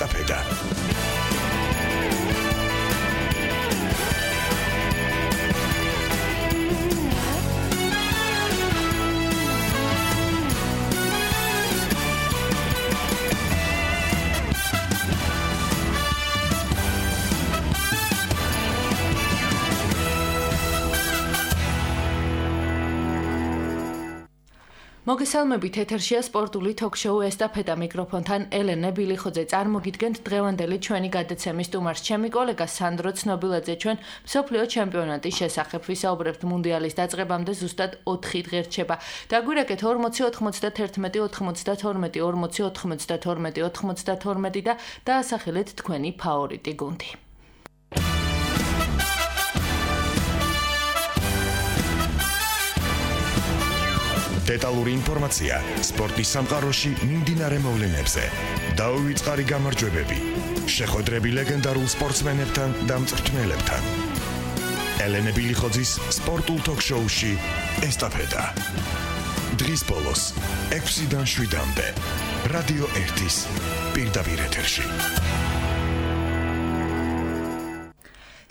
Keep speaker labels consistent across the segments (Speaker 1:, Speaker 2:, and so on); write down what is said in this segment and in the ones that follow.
Speaker 1: ესტაფეტა.
Speaker 2: მოგესალმებით, ეთერშია სპორტული თოქ-შოუ ესტაფეტა მიკროფონთან ელენე ბილიხოძე. წარმოგიდგენთ დღევანდელი ჩვენი გადაცემის სტუმარს. ჩემი კოლეგა სანდრო ცნობილაძე ჩვენ მსოფლიო ჩემპიონატის შესახებ ვისაუბრებთ. მუნდიალის დაწყებამდე ზუსტად 4 დღე რჩება. დაგვირეკეთ 40-91, 90-92, 40-92, 92 და დაასახელეთ თქვენი ფავორიტი გუნდი.
Speaker 1: დეტალური ინფორმაცია სპორტის სამყაროში მიმდინარე მოვლენებზე. დაუვიწყარი გამარჯვებები. შეხვედრები ლეგენდარულ სპორტსმენებთან და მწვრთნელებთან. ელენე ბილიხოძის სპორტულ თოქ-შოუში ესტაფეტა. დღის ბოლოს 6-დან 7-მდე რადიო 1-ის პირდაპირ ეთერში.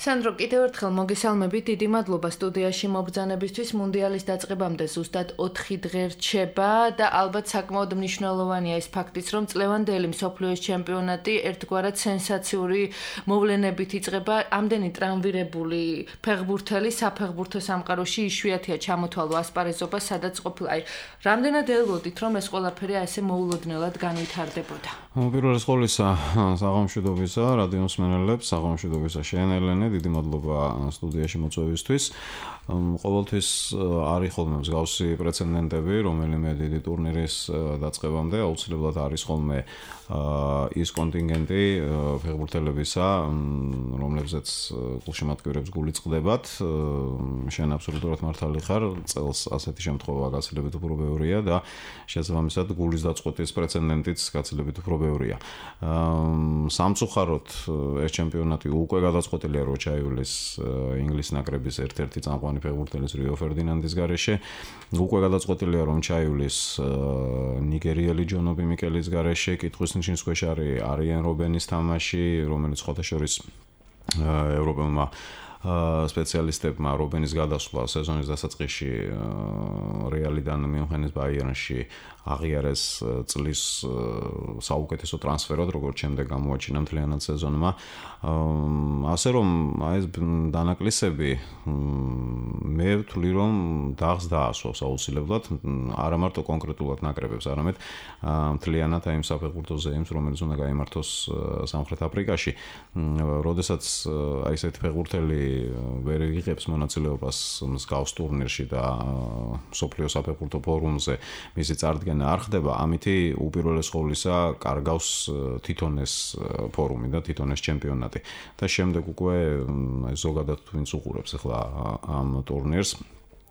Speaker 2: სანდრო, კიდევ ერთხელ მოგესალმებით, დიდი მადლობა სტუდიაში მობრძანებისთვის. მუნდიალის დაწყებამდე ზუსტად 4 დღე რჩება და ალბათ საკმაოდ მნიშვნელოვანია ის ფაქტიც, რომ წლევანდელი მსოფლიოს ჩემპიონატი ერთგვარად სენსაციური მოვლენებით იწყება. ამდენი ტრამვირებული ფეხბურთელი საფეხბურთო სამყაროში იშვიათია ჩამოთვალო ასპარეზობა, სადაც ყოფილა. რამდენად ელოდით, რომ ეს ყველაფერი ასე მოულოდნელად განვითარდებოდა?
Speaker 3: პირველის ყოვლისა საღამოშვიდობისა რადიო მსმენელებს, საღამოშვიდობისა შენ ელენე, დიდი მადლობა სტუდიაში მოწვევისთვის. ყოველთვის არის ხოლმე მსგავსი პრეცედენტები, რომელიმე დიდი ტურნირის დაწყებამდე აუცილებლად არის ხოლმე ის კონტინგენტი ფეხბურთელებისა, რომლებზეც გულშემატკივრებს გული წყდებათ. შენ აბსოლუტურად მართალი ხარ, წელს ასეთი შემთხვევა გაცილებით უფრო ბევრია და შესაბამისად გულის დაწყვეტის პრეცედენტიც გაცილებით უფრო ბევრია. სამწუხაროდ ეს ჩემპიონატი უკვე გადაწყვეტილია, რომ ჩაივლის ინგლისის ნაკრების ერთ-ერთი წამყვანი ფეხბურთელის რიო ფერდინანდის გარეშე. უკვე გადაწყვეტილია, რომ ჩაივლის ნიგერიელი ჯონობი მიკელის გარეშე. კითხვის ნიშნის ქვეშ არის არიან რობენის თამაში, რომელიც ხოთაშორის ევროპელმა სპეციალისტებმა რობენის გადასვლა სეზონის დასაწყისში რეალიდან მიუნხენის ბაიერნში აღიარეს წლის საუკეთესო ტრანსფერად, როგორც შემდეგ გამოაჩინა მთლიანად სეზონმა. ასე რომ ეს დანაკლისები მე ვთვლი, რომ დაღს დაასვავს აუცილებლად, არა მარტო კონკრეტულად ნაკრებებს, არამედ მთლიანად აი იმ საფეხბურთო ზეიმს, რომელიც უნდა გაიმართოს სამხრეთ აფრიკაში. როდესაც აი ესეთი ფეხბურთელი ვერ იღებს მონაწილეობას მსგავს ტურნირში და მსოფლიო საფეხბურთო ფორუმზე მისი წარდგენა არ ხდება, ამითი უპირველეს ყოვლისა კარგავს თვითონ ეს ფორუმი და თვითონ ეს ჩემპიონატი. და შემდეგ უკვე ზოგადად ვინც უყურებს ახლა ამ ტურნირს,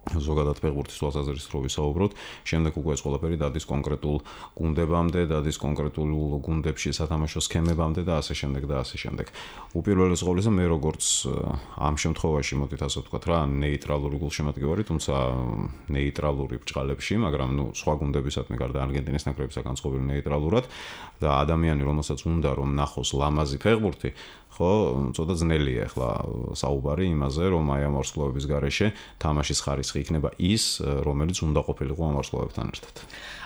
Speaker 3: ზოგადად ფეხბურთის თვალსაზრისით რო ვისაუბროთ, შემდეგ უკვე ეს ყველაფერი დადის კონკრეტულ გუნდებამდე, დადის კონკრეტულ გუნდებში სათამაშო სქემებამდე და ასე შემდეგ და ასე შემდეგ. უპირველეს ყოვლისა მე როგორც ამ შემთხვევაში მოდით ასე ვთქვათ რა, ნეიტრალური გულშემატკივარი, თუმცა ნეიტრალური ბრჭყალებში, მაგრამ სხვა გუნდებისადმი გარდა არგენტინის ნაკრებისა განწყობილი ნეიტრალურად და ადამიანი, რომელსაც უნდა რომ ნახოს ლამაზი ფეხბურთი, ხო, ცოტა ძნელია ახლა საუბარი იმაზე, რომ აი ამ ვარსკვლავების გარეშე თამაშის ხარისხი იქნება ის, რომელიც უნდა ყოფილიყო ამ ვარსკვლავებთან ერთად.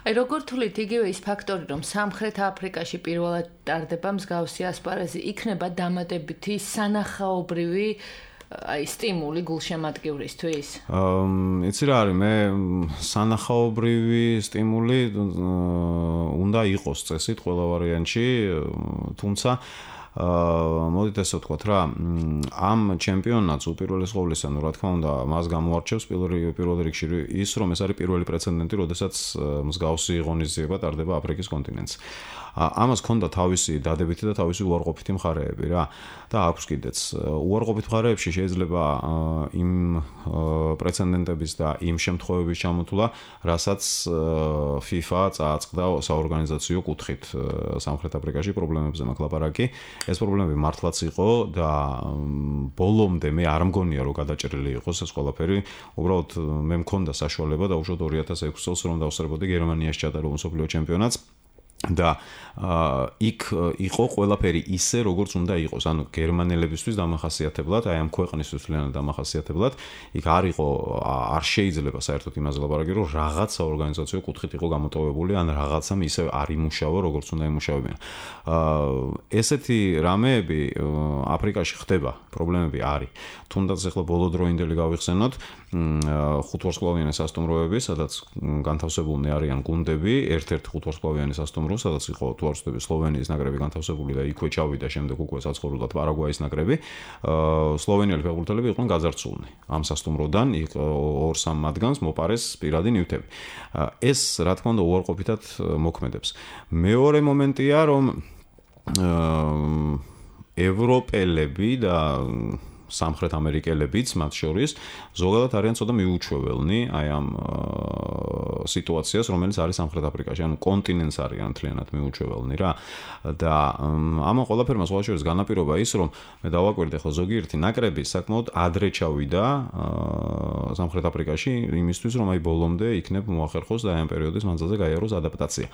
Speaker 2: აი როგორ თვლით იგივე ის ფაქტორი, რომ სამხრეთ აფრიკაში პირველად ტარდება მსგავსი ასპარეზი, იქნება დამატებითი სანახაობრივი აი სტიმული გულშემატკივრისთვის?
Speaker 3: იცი რა არის, მე სანახაობრივი სტიმული უნდა იყოს წესით ყველა ვარიანტში, თუმცა მოდით ესე ვთქვათ რა, ამ ჩემპიონატს უპირველეს ყოვლისა, რა თქმა უნდა, მას გამოარჩევს პირველ რიგში ის, რომ ეს არის პირველი პრეცედენტი, როდესაც მსგავსი ღონისძიება ტარდება აფრიკის კონტინენტს. ამას ჰქონდა თავისი დადებითი და თავისი უარყოფითი მხარეები რა და აქვს კიდეც. უარყოფით მხარეებში შეიძლება იმ პრეცედენტების და იმ შემთხვევების ჩამოთვლა, რასაც FIFA წააწყდა საორგანიზაციო კუთხით სამხრეთ აფრიკაში პრობლემებზე მაქვს ლაპარაკი. ეს პრობლემები მართლაც იყო და ბოლომდე მე არ მგონია რომ გადაჭრილი იყოს ეს ყველაფერი. უბრალოდ მე მქონდა საშუალება დაუშვათ 2006 წელს რომ დავსწრებოდი გერმანიაში ჩატარებულ მსოფლიო ჩემპიონატს. და იქ იყო ყველაფერი ისე როგორც უნდა იყოს, ანუ გერმანელებისთვის დამახასიათებლად, აი ამ ქვეყნისთვის თლიანად დამახასიათებლად, იქ არ შეიძლება საერთოდ იმაზე ლაპარაკი, რომ რაღაც საორგანიზაციო კუთხით იყო გამოტოვებული, ან რაღაცამ ისე არ იმუშავა, როგორც უნდა იმუშავებინა. ესეთი რამეები აფრიკაში ხდება, პრობლემები არის. თუნდაც ახლა ბოლოდროინდელი გავიხსენოთ, ხუთვარსკვლავიანი სასტუმროები, სადაც განთავსებულნი არიან გუნდები, ერთ-ერთი ხუთვარსკვლავიანი სასტუმრო, სადაც იყო თუ არ ვცდები სლოვენიის ნაკრები განთავსებული და იქვე ჩავიდა შემდეგ უკვე საცხოვრებლად პარაგვაის ნაკრები. სლოვენიელი ფეხბურთელები იყვნენ გაძარცულნი ამ სასტუმროდან, 2-3 მათგანს მოპარეს პირადი ნივთები. ეს რა თქმა უნდა უარყოფითად მოქმედებს. მეორე მომენტია, რომ ევროპელები და სამხრეთ ამერიკელებიც მათ შორის ზოგადად არიან ცოტა მიუჩვეველნი აი ამ სიტუაციას, რომელიც არის სამხრეთ აფრიკაში, ანუ კონტინენტს არიან მთლიანად მიუჩვეველნი რა. და ამ ყველაფერმა სხვა შორის განაპირობა ის, რომ მე დავაკვირდე ახლა ზოგიერთი ნაკრები საკმაოდ ადრე ჩავიდა სამხრეთ აფრიკაში იმისთვის, რომ აი ბოლომდე იქნებ მოახერხოს და აი ამ პერიოდის მანძილზე გაიაროს ადაპტაცია.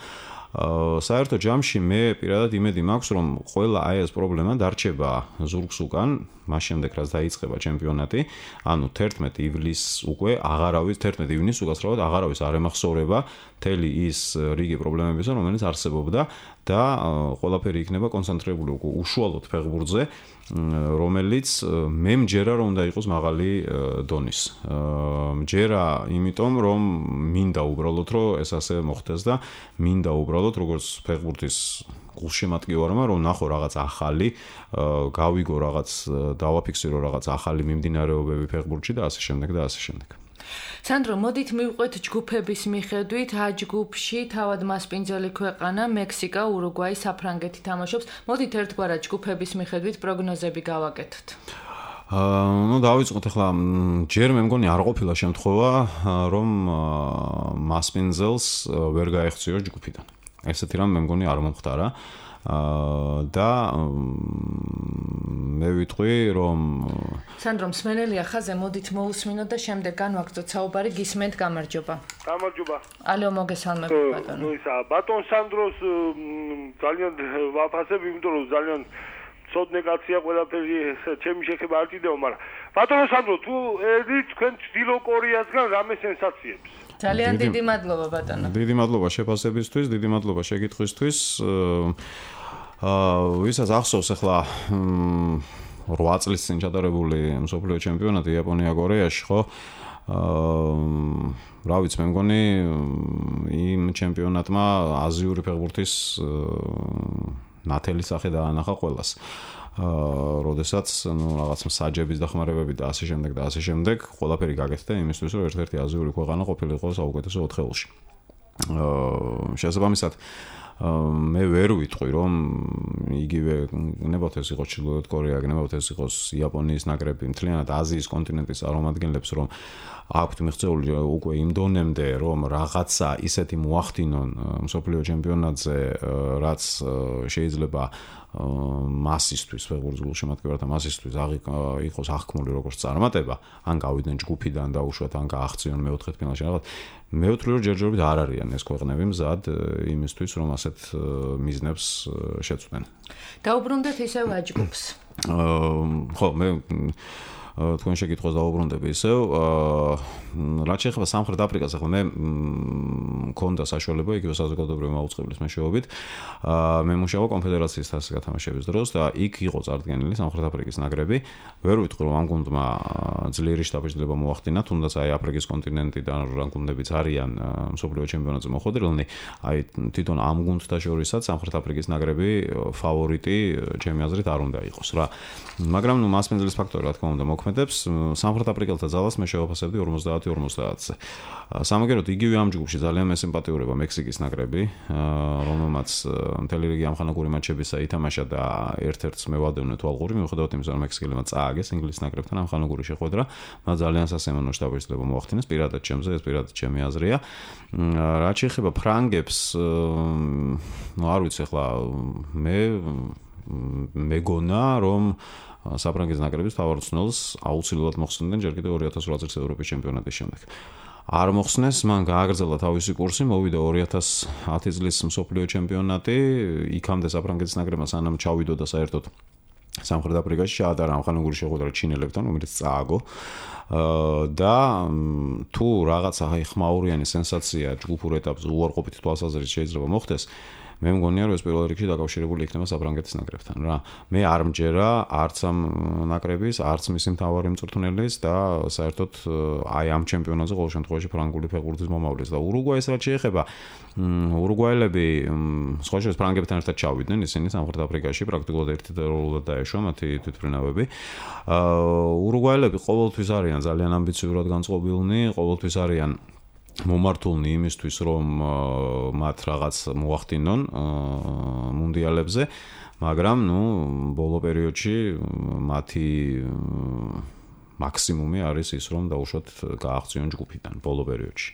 Speaker 3: საერთო ჯამში მე პირადად იმედი მაქვს, რომ ყველა აი ეს პრობლემა დარჩება ზურგს უკან, მას შემდეგ რაც დაიწყება ჩემპიონატი, ანუ 11 ივლისს უკვე აღარავის 11 ივნისს უკაცრავად აღარავის არ ემახსოვრება მთელი ის რიგი პრობლემებისა, რომელიც არსებობდა და ყველაფერი იქნება კონცენტრირებული უკვე უშუალოდ ფეხბურთზე, რომელიც მე მჯერა რომ უნდა იყოს მაღალი დონის. მჯერა იმიტომ რომ მინდა უბრალოდ რომ ეს ასე მოხდეს და მინდა უბრალოდ როგორც ფეხბურთის გულშემატკივარმა რომ ნახო რაღაც ახალი, გავიგო რაღაც, დავაფიქსირო რაღაც ახალი მიმდინარეობები ფეხბურთში და ასე შემდეგ და ასე შემდეგ.
Speaker 2: სანდრო, მოდით მივყვეთ ჯგუფების მიხედვით, ა ჯგუფში თავად მასპინძელი ქვეყანა მექსიკა, ურუგვაი, საფრანგეთი თამაშობს. მოდით ერთგვარად ჯგუფების მიხედვით პროგნოზები გავაკეთოთ.
Speaker 3: დავიწყოთ ახლა ჯერ მე მგონი არ ყოფილა შემთხვევა, რომ მასპინძელს ვერ გაეხციო ჯგუფიდან. ესეთი რამ მე მგონი არ მომხდარა. და მე ვიტყვი რომ
Speaker 2: სანდრო მსმენელია ხაზე, მოდით მოусმინოთ და შემდეგ განვაგრძოთ საუბარი. გისმენთ, გამარჯობა.
Speaker 4: გამარჯობა.
Speaker 2: ალო, მოგესალმებით ბატონო.
Speaker 4: ბატონ სანდროს ძალიან ვაფასებ, იმიტომ რომ ძალიან ცოდნე კაცია, ყველაფერი ჩემი შეხება არ ჭიდაო, მაგრამ ბატონო სანდრო, თუ ერდით თქვენ ჩრდილო კორეასგან რამე სენსაციებს?
Speaker 2: ძალიან დიდი მადლობა ბატონო.
Speaker 3: დიდი მადლობა შეფასებისთვის, დიდი მადლობა შეკითხვისთვის. ვისაც ახსოვს ახლა 8 წლის წინ ჩატარებული მსოფლიო ჩემპიონატი იაპონია-კორეაში, ხო? რა ვიცი, მე მგონი იმ ჩემპიონატმა აზიური ფეხბურთის ნათელი სახე დაანახა ყველას. როდესაც რაღაც მსაჯების დახმარებები და ასე შემდეგ და ასე შემდეგ ყველაფერი გაკეთდა იმისთვის, რომ ერთ-ერთი აზიური ქვეყანა ყოფილიყო საუკეთესო 4-ში. შესაბამისად მე ვერ ვიტყვი, რომ იგივე გნებავთ ეს იყოს ჩრდილოეთ კორეა, გნებავთ ეს იყოს იაპონიის ნაკრები, მთლიანად აზიის კონტინენტის წარმომადგენლებს, რომ აქვთ მიღწეული უკვე იმ დონემდე, რომ რაღაცა ისეთი მოახდინონ მსოფლიო ჩემპიონატზე, რაც შეიძლება მასისთვის, ფეხბურთის გულშემატკივართა მასისთვის იყოს აღქმული როგორც წარმატება, ან გავიდნენ ჯგუფიდან და უშუალოდ ან გააღწიონ მეოთხედფინალში რაღაც. მე ვთვლი, რომ ჯერჯერობით არ არიან ეს ქვეყნები მზად იმისთვის, რომ ასეთ მიზნებს შეცვლენ.
Speaker 2: დაუბრუნდეთ ისევ აჯგუფს.
Speaker 3: ხო, მე თქვენ შეკითხვას დავუბრუნდები ისევ. რაც შეეხება სამხრეთ აფრიკას, ახლა მე მქონდა საშუალება იგივე საზოგადოებრივი მაუწყებლის მეშვეობით მე მუშაობა კონფედერაციის თასის გათამაშების დროს და იქ იყო წარდგენილი სამხრეთ აფრიკის ნაკრები. ვერ ვიტყვი, რომ ამ გუნდმა ძლიერი შთაბეჭდილება მოახდინა, თუნდაც აი აფრიკის კონტინენტიდან რა გუნდებიც არიან მსოფლიო ჩემპიონატზე მოხვედრილნი, აი თვითონ ამ გუნდთა შორისაც სამხრეთ აფრიკის ნაკრები ფავორიტი ჩემი აზრით არ უნდა იყოს რა. მაგრამ ნუ მასპინძლის ფაქტორი რა თქმა უნდა მოქმედებს. სამხრეთ აფრიკელთა ძალას მე შევაფასებდი 50-50-ზე. სამაგეროდ იგივე ამ ჯგუფში ძალიან მესიმპათიურება მექსიკის ნაკრები, რომელმაც მთელი რიგი ამხანაგური მატჩებისა ითამაშა და ერთ-ერთს მევადევნე თვალყური, მიუხედავად იმისა, რომ მექსიკელებმა წააგეს ინგლისის ნაკრებთან ამხანაგური შეხვედრა, მათ ძალიან სასიამოვნო შთაბეჭდილება მოახდინეს, პირადად ჩემზე, ეს პირადად ჩემი აზრია. რაც შეეხება ფრანგებს, ნუ არ ვიცი, ახლა მეგონა, რომ საფრანგეთის ნაკრების თავარ ცნელს აუცილებლად მოხსნიდნენ ჯერ კიდევ 2008 წლის ევროპის ჩემპიონატის შემდეგ. არ მოხსნეს, მან გააგრძელა თავისი კურსი, მოვიდა 2010 წლის მსოფლიო ჩემპიონატი, იქამდე საფრანგეთის ნაკრებმა სანამ ჩავიდო და საერთოდ სამხრეთ აფრიკაში ჩაატარა ამხანაგური შეხვედრა ჩინელებთან, რომელიც წააგო. და თუ რაღაცა ხმაურიანი სენსაცია ჯგუფურ ეტაპზე უარყოფითი თვალსაზრისით შეიძლება მოხდეს, მე მგონია რომ ეს პირველ რიგში დაკავშირებული იქნება საფრანგეთის ნაკრებთან რა. მე არ მჯერა არც ამ ნაკრების, არც მისი მთავარი მწვრთნელის და საერთოდ აი ამ ჩემპიონატზე ყოველ შემთხვევაში ფრანგული ფეხბურთის მომავლის და ურუგვაის რაც შეეხება, ურუგვაელები სხვა შორის ფრანგებთან ერთად ჩავიდნენ, ისინი სამხრეთ აფრიკაში პრაქტიკულად ერთდროულად დაეშვა მათი თვითმფრინავები. ურუგვაელები ყოველთვის არიან ძალიან ამბიციურად განწყობილნი, ყოველთვის არიან მომართულნი იმისთვის, რომ მათ რაღაც მოახდინონ მუნდიალებზე, მაგრამ ბოლო პერიოდში მათი მაქსიმუმი არის ის, რომ დაუშვათ გააღწიონ ჯგუფიდან ბოლო პერიოდში.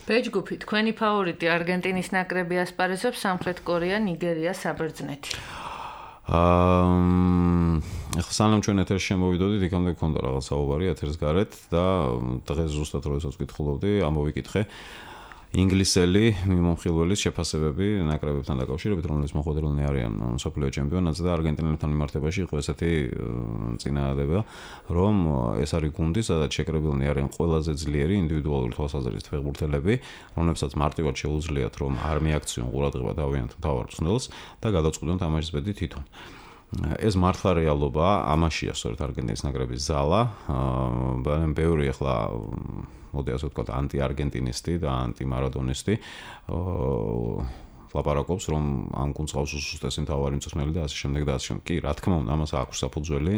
Speaker 2: ბეჯგუფი, თქვენი ფავორიტი არგენტინის ნაკრები ასპარეზობს სამხრეთ კორეა, ნიგერია, საბერძნეთი.
Speaker 3: ახლა სანამ ჩვენ ეთერში შემოვიდოდით, იქამდე გქონდა რაღაც საუბარი ეთერს გარეთ და დღეს ზუსტად როდესაც ვკითხულობდი, ამოვიკითხე ინგლისელი მიმომხილველის შეფასებები ნაკრებებთან დაკავშირებით, რომელიც მოხვედრილნი არიან მსოფლიო ჩემპიონატზე და არგენტინელებთან მიმართებაში იყო ესეთი წინადადება, რომ ეს არის გუნდი, სადაც შეკრებილნი არიან ყველაზე ძლიერი ინდივიდუალური თვალსაზრისით ფეხბურთელები, რომლებსაც მარტივად შეუძლიათ, რომ არ მიაქციონ ყურადღება თავიანთ მთავარ მწვრთნელს და გადაწყვიტონ თამაშის ბედი თვითონ. ეს მართლა რეალობაა, ამაშია სწორედ არგენტინის ნაკრების ზალა, ბევრი ახლა მოდი ასე ვთქვათ, ანტი-არგენტინისტი და ანტი-მარადონისტი ლაპარაკობს, რომ ამ გუნდს ყავს უსუსტესი მთავარი მწვრთნელი და ასე შემდეგ და ასე შემდეგ. კი, რა თქმა უნდა, ამას აქვს საფუძველი,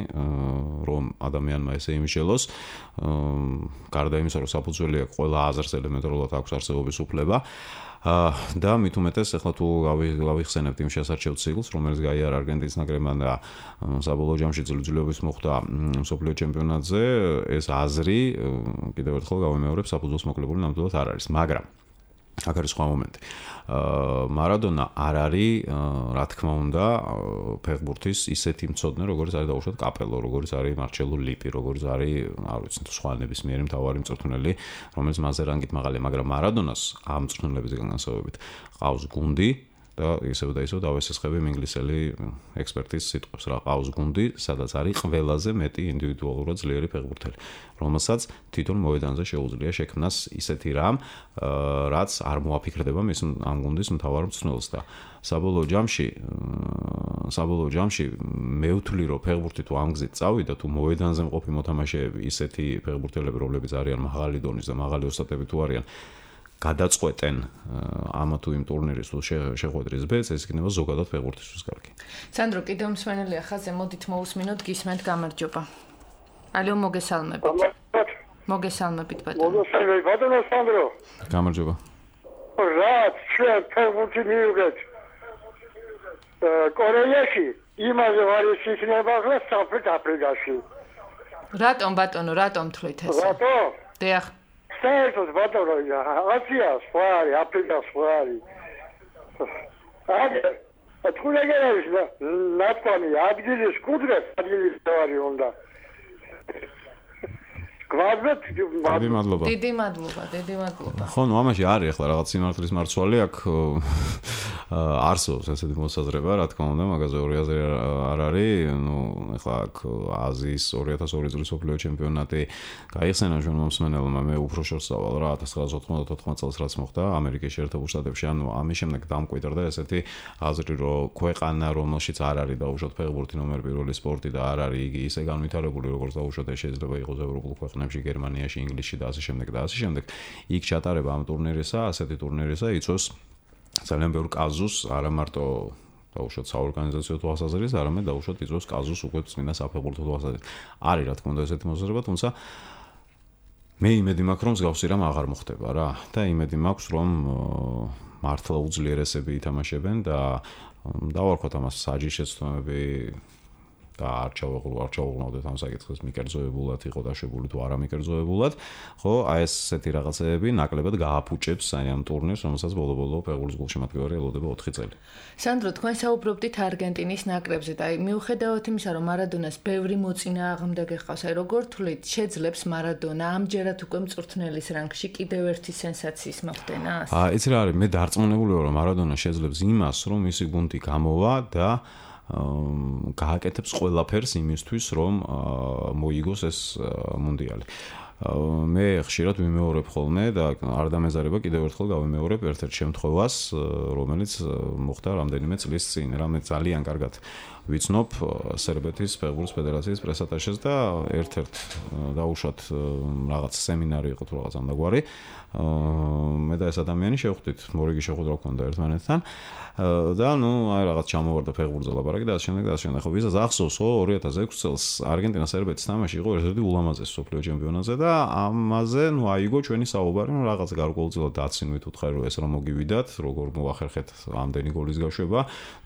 Speaker 3: რომ ადამიანმა ესე იმიშელოს, გარდა იმისა, რომ საფუძველი აქვს, ყველა აზრს ელემენტარულად აქვს არსებობის უფლება. და მით უმეტეს ახლა თუ გავიხსენებთ იმ შესარჩევ ციკლს, რომელიც გაიარა არგენტინის ნაკრებმა და საბოლოო ჯამში ძლიერობის მოხდა მსოფლიო ჩემპიონატზე, ეს აზრი კიდევ ერთხელ გავიმეორებ, საფუძველს მოკლებული ნამდვილად არ არის, მაგრამ აქ არის სხვა მომენტი. მარადონა არ არის, რა თქმა უნდა, ფეხბურთის ისეთი მცოდნე, როგორც არის დაუშვათ კაპელო, როგორც არის მარჩელო ლიპი, როგორც არის, არ ვიცი, სხვა ნებისმიერი მთავარი მწვრთნელი, რომელიც მასზე რანგით მაღალია, მაგრამ მარადონას ამ მწვრთნელების განსხვავებით ყავს გუნდი და ისევ დავესესხები ინგლისელი ექსპერტის სიტყვებს, რა ყავს გუნდი, სადაც არის ყველაზე მეტი ინდივიდუალურად ძლიერი ფეხბურთელი, რომელსაც თვითონ მოედანზე შეუძლია შექმნას ისეთი რამ, რაც არ მოაფიქრდება მის ამ გუნდის მთავარ მწვრთნელს და საბოლოო ჯამში მე ვთვლი, რომ ფეხბურთი თუ ამ გზით წავიდა, თუ მოედანზე მყოფი მოთამაშეები, ისეთი ფეხბურთელები, რომლებიც არიან მაღალი დონის და მაღალი ოსტატები თუ არიან, გადაწყვეტენ ამა თუ იმ ტურნირის თუ შეხვედრის ბედს, ეს იქნება ზოგადად ფეხბურთისთვის კარგი.
Speaker 2: სანდრო, კიდევ მსმენელია ხაზზე, მოდით მოусმინოთ, გისმენთ, გამარჯობა. ალო, მოგესალმებით. მოგესალმებით, ბატონო.
Speaker 4: მოგესალმებით, ბატონო სანდრო.
Speaker 3: გამარჯობა.
Speaker 4: რა, ჩვენ ფეხბურთი მივიღეთ. კორეაში იმაზე არის იქნება რა სამხრეთ აფრიკაში.
Speaker 2: რატომ ბატონო, რატომ თვლით ესე?
Speaker 4: რატომ?
Speaker 2: დიახ.
Speaker 4: საერთოდ ბატონო, აზია სხვა არის, აფრიკა სხვა არის. თქვენგანაც ნათქვამი ადგილის კუდრეს ადგილის დავარი უნდა. გვაძეთ,
Speaker 2: დიდი მადლობა.
Speaker 3: ხო, ამაში არის ახლა რაღაც სიმართლის მარცვალი აქ არსებობს ესეთი მოსაზრება, რა თქმა უნდა, მაგაზე ორი აზრი არ არის. ახლა აქ აზიის 2002 წლის მსოფლიო ჩემპიონატი გაიხსენა ჩვენ მომსმენელმა, მე უფრო შორს სავალ რა 1994 წელს რაც მოხდა ამერიკის შეერთებულ შტატებში, ამის შემდეგ დამკვიდრდა ესეთი აზრი, რომ ქვეყანა, რომელშიც არ არის დაუშვათ ფეხბურთი ნომერ პირველი სპორტი და არ არის იგი ისე განვითარებული, როგორც დაუშვათ შეიძლება იყოს ევროპულ ქვეყნებში, გერმანიაში, ინგლისში და ასე შემდეგ, იქ ჩატარება ამ ტურნირისა, ასეთი ტურნირისა იწვევს ძალიან ბევრ კაზუსს, არა მარტო დაუშვათ საორგანიზაციო თვალსაზრისით, არამედ დაუშვათ იწვევს კაზუსს უკვე წმინდა საფეხბურთო თვალსაზრისით. არის რა თქმა უნდა ესეთი მოსაზრება, თუმცა მე იმედი მაქვს, რომ მსგავსი რამ აღარ მოხდება რა და იმედი მაქვს, რომ მართლა უძლიერესები ითამაშებენ და დავარქვათ ამას საჯიშეცდომები და არ ჩავუღრმავდეთ ამ საკითხს მიკერძოებულად იყო დაშვებული თუ არა მიკერძოებულად, ხო, აი ესეთი რაღაცეები ნაკლებად გააფუჭებს აი ამ ტურნირს, რომელსაც ბოლო-ბოლო ფეხბურთის გულშემატკივარი ელოდება 4 წელი.
Speaker 2: სანდრო, თქვენ საუბრობდით არგენტინის ნაკრებზე და აი მიუხედავად იმისა, რომ მარადონას ბევრი მოწინააღმდეგე ჰყავს, აი როგორ თვლით, შეძლებს მარადონა ამჯერად უკვე მწვრთნელის რანგში კიდევ ერთი სენსაციის მოხდენას?
Speaker 3: იცი რა არის, მე დარწმუნებული ვარ, რომ მარადონა შეძლებს იმას, რომ მისი გუნდი გამოვა და გააკეთებს ყველაფერს იმისთვის, რომ მოიგოს ეს მუნდიალი. მე ხშირად ვიმეორებ ხოლმე და არ დამეზარება კიდევ ერთხელ გავიმეორებ ერთ-ერთ შემთხვევას, რომელიც მოხდა რამდენიმე წლის წინ, რამე ძალიან კარგად ვიცნობ სერბეთის ფეხბურთის ფედერაციის პრესატაშეს და ერთ-ერთ დაუშვათ რაღაც სემინარი იყო თუ რაღაც ამგვარი. მე და ეს ადამიანი შევხვდით, მორიგი შეხვედრა ჰქონდა ერთმანეთთან და ნუ აი რაღაც ჩამოვარდა ფეხბურთზე ლაპარაკი და ასე შემდეგ. ხო, ვისაც ახსოვს 2006 წელს არგენტინა-სერბეთის თამაში იყო ერთ-ერთი ულამაზესი მსოფლიო ჩემპიონატზე და ამაზე ნუ აიგო ჩვენი საუბარი, რომ რაღაც გარკვეულწილად დაცინვით უთხარი, რომ ეს რომ მოგივიდათ, როგორ მოახერხეთ ამდენი გოლის გაშვება,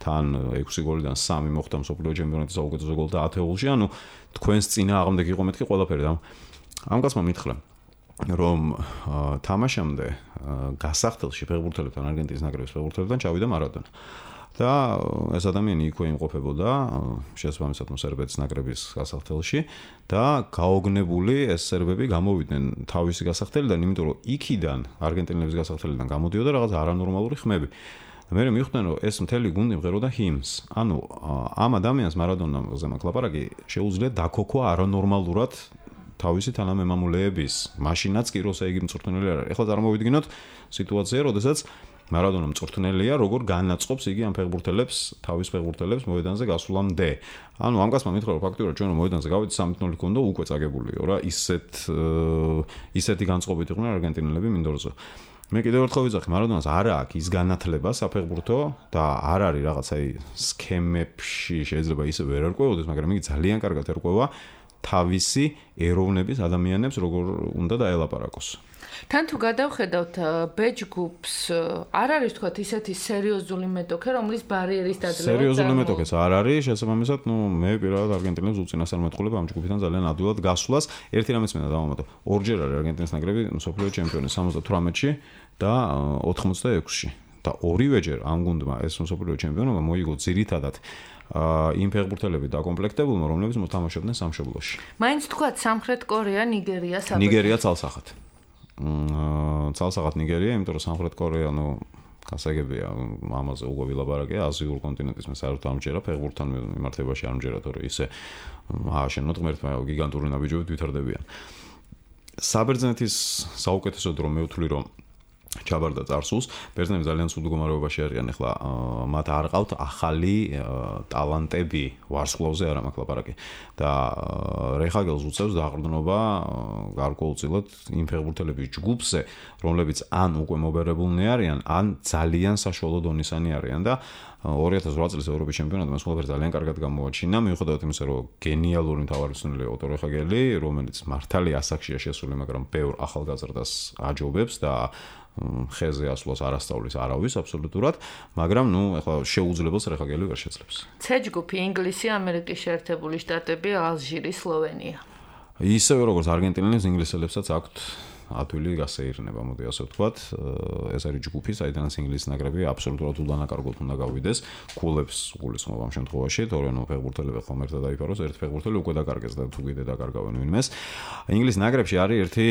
Speaker 3: თან 6 გოლიდან 3 მოხდა მსოფლიო ჩემპიონატის საუკეთესო გოლთა ათეულში, ანუ თქვენს წინააღმდეგ იყო მეთქი ყველაფერი და ამ კაცმა მითხრა რომ თამაშამდე გასახდელში ფეხბურთელებთან არგენტინის ნაკრების ფეხბურთელებთან ჩავიდა მარადონა და ეს ადამიანი იქვე იმყოფებოდა შესაბამისად სერბეთის ნაკრების გასახდელში და გაოგნებული ეს სერბები გამოვიდნენ თავისი გასახდელიდან, იმიტომ რომ იქიდან არგენტინელების გასახდელიდან გამოდიოდა რაღაც არანორმალური ხმები. მე მივხვდნენ რომ ეს მთელი გუნდი მღეროდა ჰიმნს. ანუ ამ ადამიანს მარადონაზე მაქვს ლაპარაკი შეუძლია დაქოქვა არანორმალურად თავისი თანამემამულეების, მაშინაც კი როცა იგი მწვრთნელი არ არის. ეხლა წარმოვიდგინოთ სიტუაცია, როდესაც მარადონა მწვრთნელია, როგორ განაწყობს იგი ამ ფეხბურთელებს, თავის ფეხბურთელებს მოედანზე გასვლამდე. ანუ ამ კაცმა მითხრა რომ ფაქტიურად ჩვენ რომ მოედანზე გავიდით 3-0 ქონდა უკვე წაგებულიო რა, ისეთი განწყობით იყვნენ არგენტინელები მინდორზე. მე კიდევ ერთხელ ვიძახი, მარადონას არ აქვს ის განათლება საფეხბურთო და არ არის რაღაც აი სქემებში შეიძლება ისე ვერ ერკვეოდეს, მაგრამ იგი ძალიან კარგად ერკვევა თავისი ეროვნების ადამიანებს როგორ უნდა დაელაპარაკოს.
Speaker 2: თან თუ გადავხედავთ ბეჯგუფს, არ არის თქვა ისეთი სერიოზული მეტოქე, რომლის ბარიერის დაძლევა
Speaker 3: სერიოზული მეტოქეც არ არის, შესაბამისად, მე პირადად არგენტინელებს უწინასწარ მეტყოლებ ამ ჯგუფიდან ძალიან ადვილად გასვლას. ერთი რამეც მინდა დავამატო. ორჯერ არის არგენტინის ნაკრები მსოფლიო ჩემპიონი 78-ში და 86-ში. და ორივეჯერ ამ გუნდმა ეს მსოფლიო ჩემპიონობა მოიგო ძირითადად იმ ფეხბურთელები დაკომპლექტებულმა, რომლებიც მოთამაშობდნენ სამშობლოში.
Speaker 2: მაინც თქვა სამხრეთ კორეა, ნიგერია, საბერძნეთი.
Speaker 3: ნიგერია ცალსახად. ცალსახად ნიგერია, იმიტომ რომ სამხრეთ კორეა, გასაგებია, ამაზე უკვე ვილაპარაკია, აზიურ კონტინენტის მე საერთოდ ამჯერა ფეხბურთთან მიმართებაში არ ამჯერა, თორე ისე ააშენოთ ღმერთმა გიგანტური ნაბიჯობით ვითარდებიან. საბერძნეთის საუკეთესო დრო მე ვთვლი, რომ ჩაბარდა წარსულს, ბერძნები ძალიან ცუდ მდგომარეობაში არიან, ეხლა მათ არ ყავთ ახალი ტალანტები, ვარსკვლავზე არა მაქვს ლაპარაკი და რეხაგელს უწევს დაყრდნობა გარკვეულწილად იმ ფეხბურთელების ჯგუფზე, რომლებიც ან უკვე მობერებულნი არიან, ან ძალიან საშუალო დონისანი არიან და 2008 წლის ევროპის ჩემპიონატი მას ყველაფერი ძალიან კარგად გამოაჩინა, მიუხედავად იმისა, რომ გენიალური მთავარმცველია ოტო რეხაგელი, რომელიც მართალი ასაკშია შესული, მაგრამ ბევრ ახალგაზრდას აჯობებს და ხეზე ასვლას არ ასწავლის არავის აბსოლუტურად, მაგრამ ეხლა შეუძლებელს რეხაგელი ვერ შეძლებს.
Speaker 2: C ჯგუფი ინგლისი, ამერიკის შეერთებული შტატები, ალჟირი, სლოვენია.
Speaker 3: ისევე როგორც არგენტინელებს, ინგლისელებსაც აქვთ ადვილი გასეირნება, მოდი ასე ვთქვათ, ეს არის ჯგუფი, საიდანაც ინგლისის ნაკრები აბსოლუტურად უდანაკარგოდ უნდა გავიდეს, ქულებს გულისხმობ ამ შემთხვევაში, თორე ფეხბურთელები ხომ ერთად დაიფაროს, ერთ ფეხბურთელი უკვე დაკარგეს და თუ კიდე დაკარგავენ ვინმეს. ინგლისის ნაკრებში არის ერთი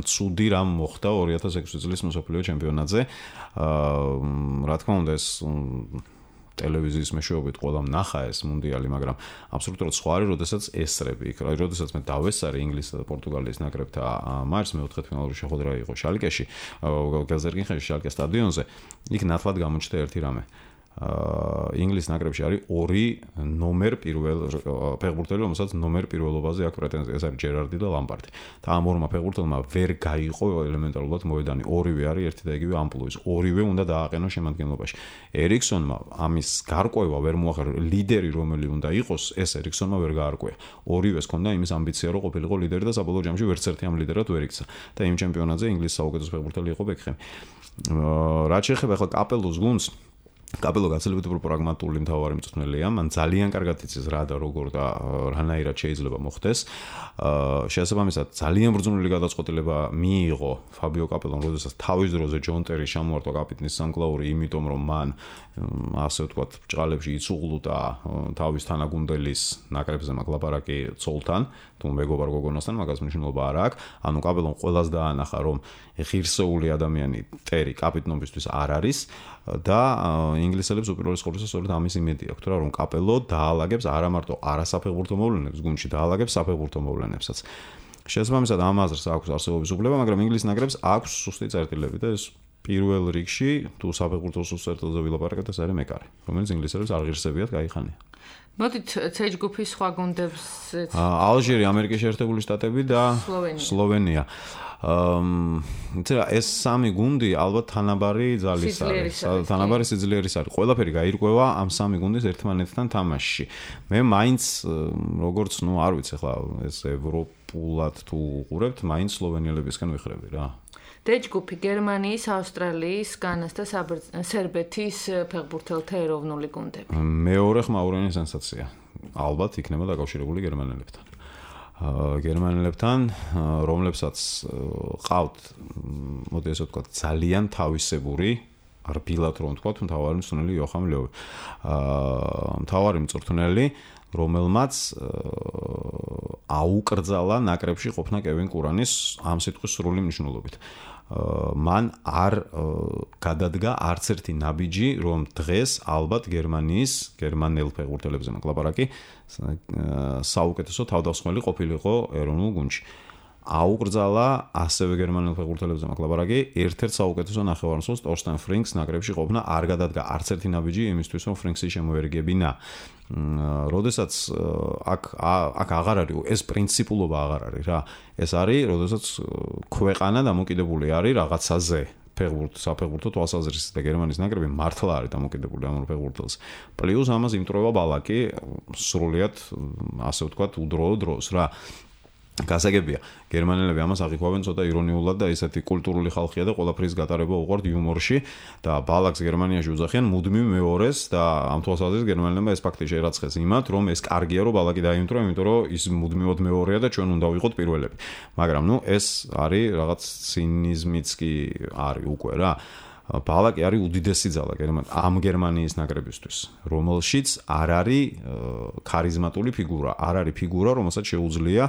Speaker 3: ცუდი რამ მოხდა 2006 წლის მსოფლიო ჩემპიონატზე. რა თქმა უნდა ეს ტელევიზიის მეშვეობით ყველამ ნახა ეს მუნდიალი, მაგრამ აბსოლუტურად სხვა არის, როდესაც ესწრები იქ. როდესაც მე დავესწარი ინგლისსა და პორტუგალიის ნაკრებთა მარს, მეოთხეთფინალური შეხვედრა იყო შალკეში, გელზერკინხენის შალკეს სტადიონზე. იქ ნათლად გამოჩნდა ერთი რამე. ინგლისის ნაკრებში არის ორი ნომერ პირველ ფეხბურთელი, რომელსაც ნომერ პირველობაზე აქვს პრეტენზია, ეს არის ჯერარდი და ლამპარდი. და ამ ორმა ფეხბურთელმა ვერ გაიყო ელემენტარულად მოედანი. ორივე არის ერთი და იგივე ამპლუის. ორივე უნდა დააყენოს შემადგენლობაში. ერიქსონმა ამის გარკვევა ვერ მოახერხა, ლიდერი რომელი უნდა იყოს, ეს ერიქსონმა ვერ გაარკვია. ორივეს ჰქონდა იმის ამბიცია, რომ ყოფილიყო ლიდერი და საბოლოო ჯამში ვერც ერთი ამ ლიდერად ვერ იქცა. და იმ ჩემპიონატზე ინგლისის საუკეთესო ფეხბურთელი იყო ბეკჰემი. რაც შეეხება ახლა კაპელოს გუნდს, კაპელო გაცილებით უფრო პრაგმატული მთავარი მწვრთნელია, მან ძალიან კარგად იცის რა და როგორ და რანაირად შეიძლება მოხდეს. შესაბამისად, ძალიან ბრძნული გადაწყვეტილება მიიღო ფაბიო კაპელომ, როდესაც თავის დროზე ჯონ ტერი შემოარტყა კაპიტნის სამკლაური, იმიტომ რომ მან ასე ვთქვათ, ბჭყალებში იცუღლუდა თავის თანაგუნდელის ნაკრებზე მაკლაპარაკი ცოლთან, თუ მეგობარ გოგონასთან, მაგას მნიშვნელობა არ აქვს. ანუ კაპელომ ყველას დაანახა, რომ ღირსეული ადამიანი ტერი კაპიტნობისთვის არ არის და ინგლისელებს უპირველეს ყოვლისა სწორედ ამის იმედი აქვთ რა, რომ კაპელო დაალაგებს არა მარტო არასაფეხბურთო მოვლენებს გუნდში, დაალაგებს საფეხბურთო მოვლენებსაც. შესაბამისად ამ აზრს აქვს არსებობის უფლება, მაგრამ ინგლისის ნაკრებს აქვს სუსტი წერტილები და ეს პირველ რიგში თუ საფეხბურთო წერტილზე ვილაპარაკეთ, ეს არის მეკარე, რომელიც ინგლისელებს არ ღირსებიათ გაიხანია.
Speaker 2: მოდით C ჯგუფის სხვა გუნდებს
Speaker 3: ალჟირი, ამერიკის შეერთებული შტატები და სლოვენია. ეს სამი გუნდი ალბათ თანაბარი ძალის არის, თანაბარი სიძლიერის არის. ყველაფერი გაირკვევა ამ სამი გუნდის ერთმანეთთან თამაშში. მე მაინც როგორც არ ვიცი ახლა ეს ევროპულად თუ უყურებთ, მაინც სლოვენიელებისგან ვიხრები რა.
Speaker 2: D ჯგუფი გერმანიის, ავსტრალიის, განას და სერბეთის ფეხბურთელთა ეროვნული გუნდები.
Speaker 3: მეორე ხმაურენი სენსაცია. ალბათ იქნება დაკავშირებული გერმანელებთან. გერმანელებთან, რომლებსაც ყავთ, მოდი ესე ვთქვათ, ძალიან თავისებური, რბილად რომ ვთქვათ, მთავარი მწვრთნელი იოხამ ლევი. მთავარი მწვრთნელი, რომელმაც აუკრძალა ნაკრებში ყოფნა კევინ კურანის ამ სიტყვის სრული მნიშვნელობით. მან არ გადადგა არც ერთი ნაბიჯი, რომ დღეს ალბათ გერმანელ ფეხბურთელებზე მაკლაპარაკი საუკეთესო თავდამსხმელი ყოფილიყო ეროვნულ გუნდში. აუკრძალა ასევე გერმანელ ფეხბურთელებზე მაკლაპარაკი ერთ-ერთ საუკეთესო ნახევარმცველს ტორსტენ ფრინკს ნაკრებში ყოფნა არ გადადგა არც ერთი ნაბიჯი იმისთვის, რომ ფრინკსი შემოერგებინა. როდესაც აქ აღარ არის ეს პრინციპულობა აღარ არის რა. ეს არის, როდესაც ქვეყანა დამოკიდებული არის რაღაცაზე. საფეხბურთო თვალსაზრისით და გერმანიის ნაკრები მართლა არის დამოკიდებული ამ ფეხბურთელს. პლუს ამას იმტროება ბალაკი სრულიად ასე ვთქვათ უდროო დროს რა. გასაგებია, გერმანელები ამას აღიქვავენ ცოტა ირონიულად და ესეთი კულტურული ხალხია და ყველაფრის გატარება უყვართ იუმორში და ბალაკს გერმანიაში უძახიან მუდმივ მეორეს და ამ თვალსაზრისით გერმანელებმა ეს ფაქტი შეერაცხეს იმათ, რომ ეს კარგია რომ ბალაკი დაიმტრო, იმიტომ რომ ის მუდმივად მეორეა და ჩვენ უნდა ვიყოთ პირველები. მაგრამ ეს არის რაღაც ცინიზმიც კი არის უკვე რა. ბალაკი არის უდიდესი ძალა ამ გერმანიის ნაკრებისთვის, რომელშიც არ არის ქარიზმატული ფიგურა, არ არის ფიგურა, რომელსაც შეუძლია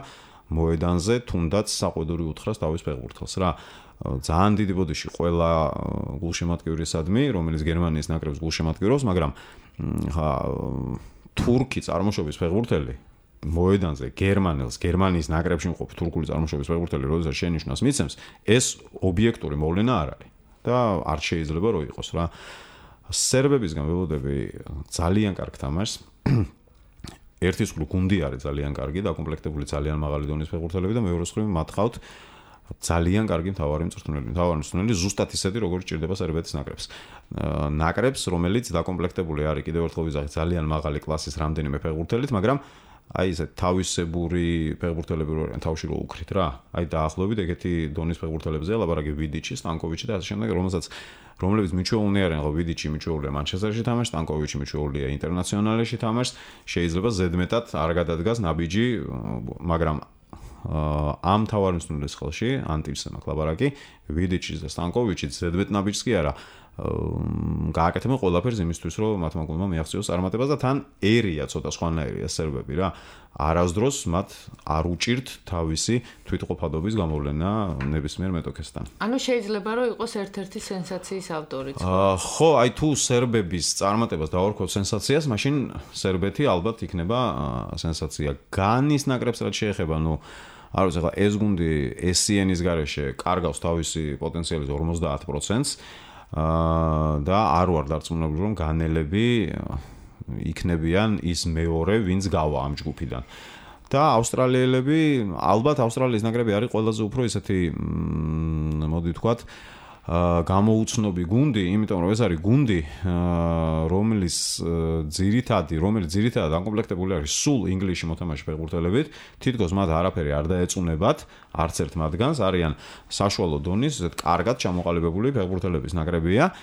Speaker 3: მოედანზე თუნდაც საყვედური უთხრას თავის ფეხბურთელს რა. ძალიან დიდი ბოდიში ყველა გულშემატკივრისადმი, რომელიც გერმანიის ნაკრებს გულშემატკივრობს, მაგრამ თურქი წარმოშობის ფეხბურთელი მოედანზე გერმანიის ნაკრებში მყოფ თურქული წარმოშობის ფეხბურთელი, როდესაც შენიშვნას მიცემს, ეს ობიექტური მოვლენა არ არის და არ შეიძლება რომ იყოს რა. სერბებისგან ველოდები ძალიან კარგ თამაშს. ერთის მხრივ გუნდი არის ძალიან კარგი, დაკომპლექტებული ძალიან მაღალი დონის ფეხბურთელები და მეორე მხრივ მათ ხავთ ძალიან კარგი მთავარი მწვრთნელი. მთავარი მწვრთნელი ზუსტად ისეთი, როგორც ჭირდება სერბეთის ნაკრებს. ნაკრებს, რომელიც დაკომპლექტებული არის კიდევ ერთხელ ვიზახით ძალიან მაღალი კლასის რამდენიმე ფეხბურთელით, მაგრამ აი ესე თავისებური ფეხბურთელები რო არიან თავში რო უკრით რა. აი დაახლოებით ეგეთი დონის ფეხბურთელებზეა ლაპარაკი ვიდიჩი, სტანკოვიჩი და ასე შემდეგ, რომლებიც მიჩვეულნი არიან, ხო ვიდიჩი მიჩვეულია მანჩესტერში თამაშს, სტანკოვიჩი მიჩვეულია ინტერნაციონალში თამაშს, შეიძლება ზედმეტად არ გადადგას ნაბიჯი, მაგრამ ამ თავარი მწვრთნელის ხელში ანტივსა მაკლაპარაკი, ვიდიჩის და სტანკოვიჩის ზედმეტ ნაბიჯს კი არა გააკეთებენ ყველაფერს იმისთვის, რომ მათმა გუნდმა მიაღწიოს წარმატებას და თან ერია ცოტა სხვანაირია სერბები რა. არასდროს მათ არ უჭირთ თავისი თვითყოფადობის გამოვლენა ნებისმიერ მეტოქესთან.
Speaker 2: ანუ შეიძლება რომ იყოს ერთ-ერთი სენსაციის ავტორიც.
Speaker 3: ხო, აი თუ სერბების წარმატებას დავარქვევ სენსაციას, მაშინ სერბეთი ალბათ იქნება სენსაცია. განის ნაკრებს რაც შეეხება, არ ვიცი, ახლა ეს გუნდი SCN-ის გარეშე კარგავს თავისი პოტენციალის 50%-ს. და არ ვარ დარწმუნებული, რომ განელები იქნებიან ის მეორე, ვინც გავა ამ ჯგუფიდან. და ავსტრალიელები, ალბათ ავსტრალიის ნაკრები არის ყველაზე უფრო ისეთი, მოდი ვთქვათ, გამოუცნობი გუნდი, იმიტომ რომ ეს არის გუნდი, რომელიც ძირითადად აკომპლექტებული არის სულ ინგლისში მოთამაშე ფეხბურთელებით, თითქოს მათ არაფერი არ დაეწუნებათ, არც ერთ მათგანს, არიან საშუალო დონის, ესეთ კარგად ჩამოყალიბებული ფეხბურთელების ნაკრებია.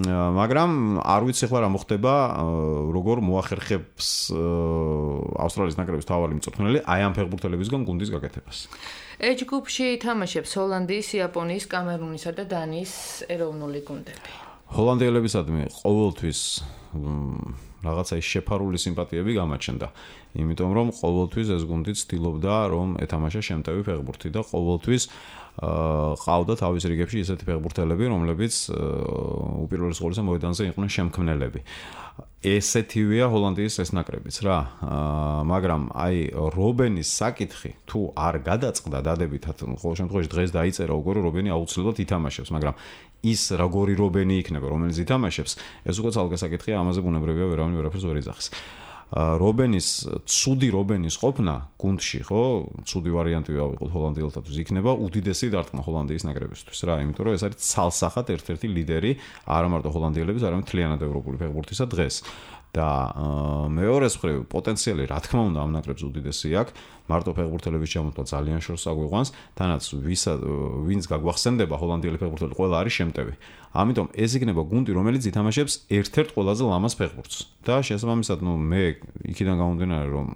Speaker 3: მაგრამ არ ვიცი ხლა რა მოხდება, როგორ მოახერხებს ავსტრალიის ნაკრების თავარი მწვრთნელი აი ამ ფეხბურთელებისგან გუნდის გაკეთებას.
Speaker 2: H ჯგუფში ითამაშებს ჰოლანდიის, იაპონიის, კამერუნისა და დანიის ეროვნული გუნდები.
Speaker 3: ჰოლანდიელებისადმი ყოველთვის რაღაცა ის შეფარული სიმპათიები გამაჩნდა. იმიტომ რომ ყოველთვის ეს გუნდი ცდილობდა რომ ეთამაშა შემტევი ფეხბურთი და ყოველთვის ყავდა თავის რიგებში ისეთი ფეხბურთელები, რომლებიც უპირველეს ყოვლისა მოედანზე იყვნენ შემქმნელები. ესეთივეა ჰოლანდიის ეს ნაკრებიც რა, მაგრამ აი რობენის საკითხი თუ არ გადაწყდა დადებითად, ყოველ შემთხვევაში დღეს დაიწერა უკვე რომ რობენი აუცილებლად ითამაშებს, მაგრამ ის როგორი რობენი იქნება, რომელიც ითამაშებს, ეს უკვე ცალკე საკითხია, ამაზე ბუნებრივია ვერავინ ვერაფერს ვერ იძახის. ცუდი რობენის ყოფნა გუნდში, ხო, ცუდი ვარიანტი ავიღოთ ჰოლანდიელთათვის, იქნება უდიდესი დარტყმა ჰოლანდიის ნაკრებისთვის რა, იმიტომ რომ ეს არის ცალსახად ერთ-ერთი ლიდერი არა მარტო ჰოლანდიელების, არამედ მთლიანად ევროპული ფეხბურთისა დღეს. და მეორეს მხრივ პოტენციალი რა თქმა უნდა ამ ნაკრებს უდიდესი აქვს, მარტო ფეხბურთელების ჩამოთვლა ძალიან შორს აგვიყვანს, თანაც ვინც გაგვახსენდება ჰოლანდიელი ფეხბურთელი ყველა არის შემტევი. ამიტომ ეს იქნება გუნდი, რომელიც ითამაშებს ერთ-ერთ ყველაზე ლამაზ ფეხბურთს. და შესაბამისად, მე იქიდან გამომდინარე, რომ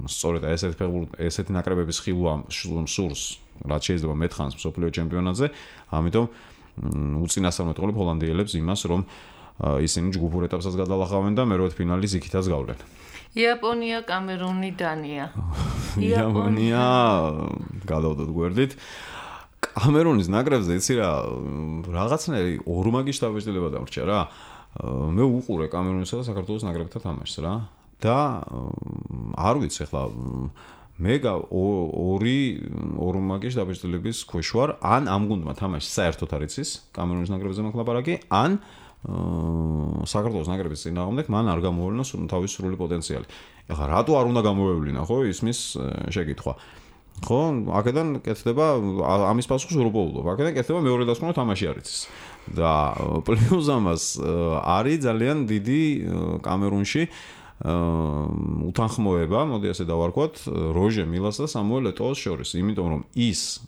Speaker 3: სწორედ ესეთი ნაკრებების ხილვა სურს, რაც შეიძლება მეთხანს მსოფლიო ჩემპიონატზე, ამიტომ უწინასწარმეტ ყოლებ ჰოლანდიელებს იმას, რომ ისინი ჯგუფურ ეტაპსაც გადალახავენ და მერვედ ფინალის იქითაც გავლენ.
Speaker 2: იაპონია, კამერუნი, დანია.
Speaker 3: იაპონია გადავდოთ გვერდით. კამერუნის ნაკრებზე იცი რა, რაღაცნაირი ორმაგი შთაბეჭდილება დამრჩა რა. მე უყურე კამერუნისა და საქართველოს ნაკრებთან თამაშს რა. და არ ვიცი ახლა მე ორი ორმაგი შთაბეჭდილების ქვეშ ვარ, ან ამ გუნდმა თამაში საერთოდ არ იცის კამერუნის ნაკრებზე მაქვს ლაპარაკი, ან საქართველოს ნაკრების წინააღმდეგ მან არ გამოავლინა თავის სრული პოტენციალი. ეხლა რატო არ უნდა გამოავლინა, ხო, ისმის შეკითხვა. ხო, აქედან კეთდება ამის პასუხს უბრალოდ. აქედან კეთდება მეორე დასკვნა თამაში არ იცის. და პლუს ამას არის ძალიან დიდი კამერუნში უთანხმოება, მოდი ასე დავარქვათ, როჟე მილას და სამუელ ეტოოს შორის, იმიტომ რომ ის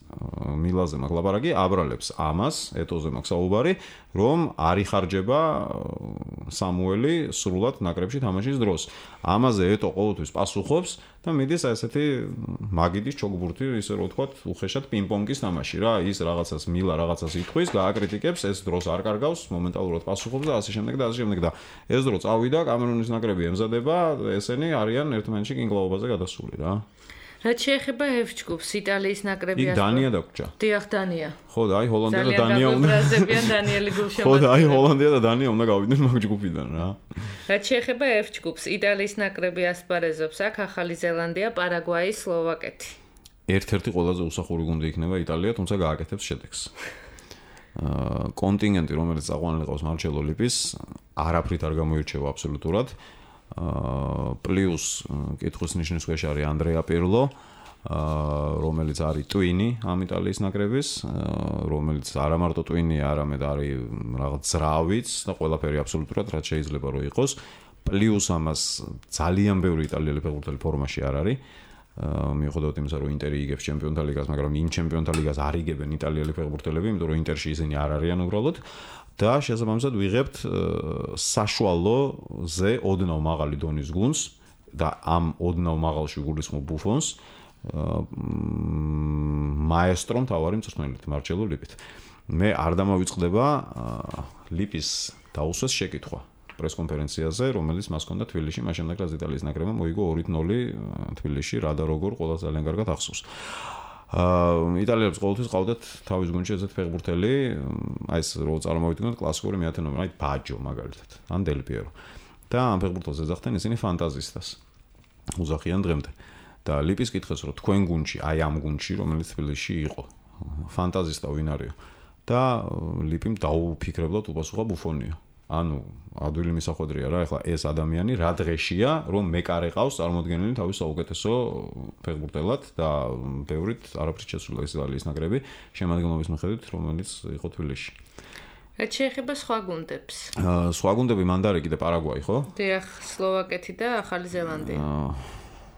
Speaker 3: მილაზე მაქვს ლაპარაკი, აბრალებს ამას, ეტოზე მაქვს საუბარი, რომ არ იხარჯება სამუელი სრულად ნაკრებში თამაშის დროს. ამაზე ეტო ყოველთვის პასუხობს და მიდის ესეთი მაგიდის ჩოგბურთი, ისე რომ ვთქვათ, უხეშად პინგ-პონგის თამაში რა, ის რაღაცას მილა რაღაცას ითქვის, გააკრიტიკებს, ეს დროს არ კარგავს, მომენტალურად პასუხობს და ასე შემდეგ და ასე შემდეგ და ეს დრო წავიდა, კამერუნის ნაკრები ემზადება, ესენი არიან ერთმანეთში კინგლაობაზე გადასული რა.
Speaker 2: რაც შეეხება F ჯგუფს, იტალიის ნაკრები
Speaker 3: იქ დანია დაგვრჩა.
Speaker 2: დიახ, დანია.
Speaker 3: ხო და აი ჰოლანდია და დანია უნდა.
Speaker 2: ბრაზებიან დანიელი გულშემატკივარი.
Speaker 3: ხო და აი ჰოლანდია და დანია უნდა გავიდნენ მაგ ჯგუფიდან რა.
Speaker 2: რაც შეეხება F ჯგუფს, იტალიის ნაკრები ასპარეზობს აქ ახალი ზელანდია, პარაგვაი, სლოვაკეთი.
Speaker 3: ერთ-ერთი ყველაზე უსახური გუნდი იქნება იტალია, თუმცა გააკეთებს შედეგს. კონტინგენტი, რომელიც წაყვანილი ყავს მარჩელო ლიპის, არაფრით არ გამოირჩევა აბსოლუტურად. პლუს კითხვის ნიშნის ქვეშ არის ანდრეა პირლო, რომელიც არის ტვინი ამ იტალიის ნაკრების, რომელიც არა მარტო ტვინი, არამედ არის რაღაც ძრავიც და ყველაფერი აბსოლუტურად რაც შეიძლება რომ იყოს. პლუს ამას ძალიან ბევრი იტალიელი ფეხბურთელი ფორმაში არ არის. მიუხედავად იმისა, რომ ინტერი იგებს ჩემპიონთა ლიგას, მაგრამ იმ ჩემპიონთა ლიგას არ იგებენ იტალიელი ფეხბურთელები, იმიტომ რომ ინტერში ისინი არ არიან უბრალოდ. და შესაბამისად ვიღებთ საშუალოზე ოდნავ მაღალი დონის გუნდს და ამ ოდნავ მაღალში გულისხმობ ბუფონს მაესტრომ თავარი მწვრთნელით მარჩელო ლიპით. მე არ დამავიწყდება ლიპის დაუსვეს შეკითხვა პრესკონფერენციაზე, რომელიც მას ჰქონდა თბილისში, მას შემდეგ რაც იტალიის ნაკრებმა მოიგო 2-0 თბილისში, რა და როგორ ყველა ძალიან კარგად ახსოვს. იტალიელებს ყოველთვის ყავდათ თავის გუნდში ესეთ ფეხბურთელი, აი ეს რო წარმოვიდგინოთ კლასიკური მეათე ნომერი, აი ბაჯო მაგალითად, ან დელ პიერო. და ამ ფეხბურთელს ეძახდნენ ისინი ფანტაზისტას. უზახიან დღემდე. და ლიპის კითხეს, რომ თქვენ გუნდში, აი ამ გუნდში, რომელიც თბილისში იყო, ფანტაზისტა ვინ არისო? და ლიპიმ დაუფიქრებლად უპასუხა ბუფონია. ანუ ადვილი მისახვედრია რა, ეხლა ეს ადამიანი რა დღეშია, რომ მეკარე ყავს წარმოდგენილი თავის საუკეთესო ფეხბურთელად და ბევრით არაფრით შეცვლილა იტალიის ნაკრები შემადგენლობის მიხედვით, რომელიც იყო თბილისში.
Speaker 2: რაც შეეხება სხვა გუნდებს.
Speaker 3: სხვა გუნდები მანდარე კიდე პარაგვაი, ხო?
Speaker 2: დიახ, სლოვაკეთი და ახალი ზელანდია.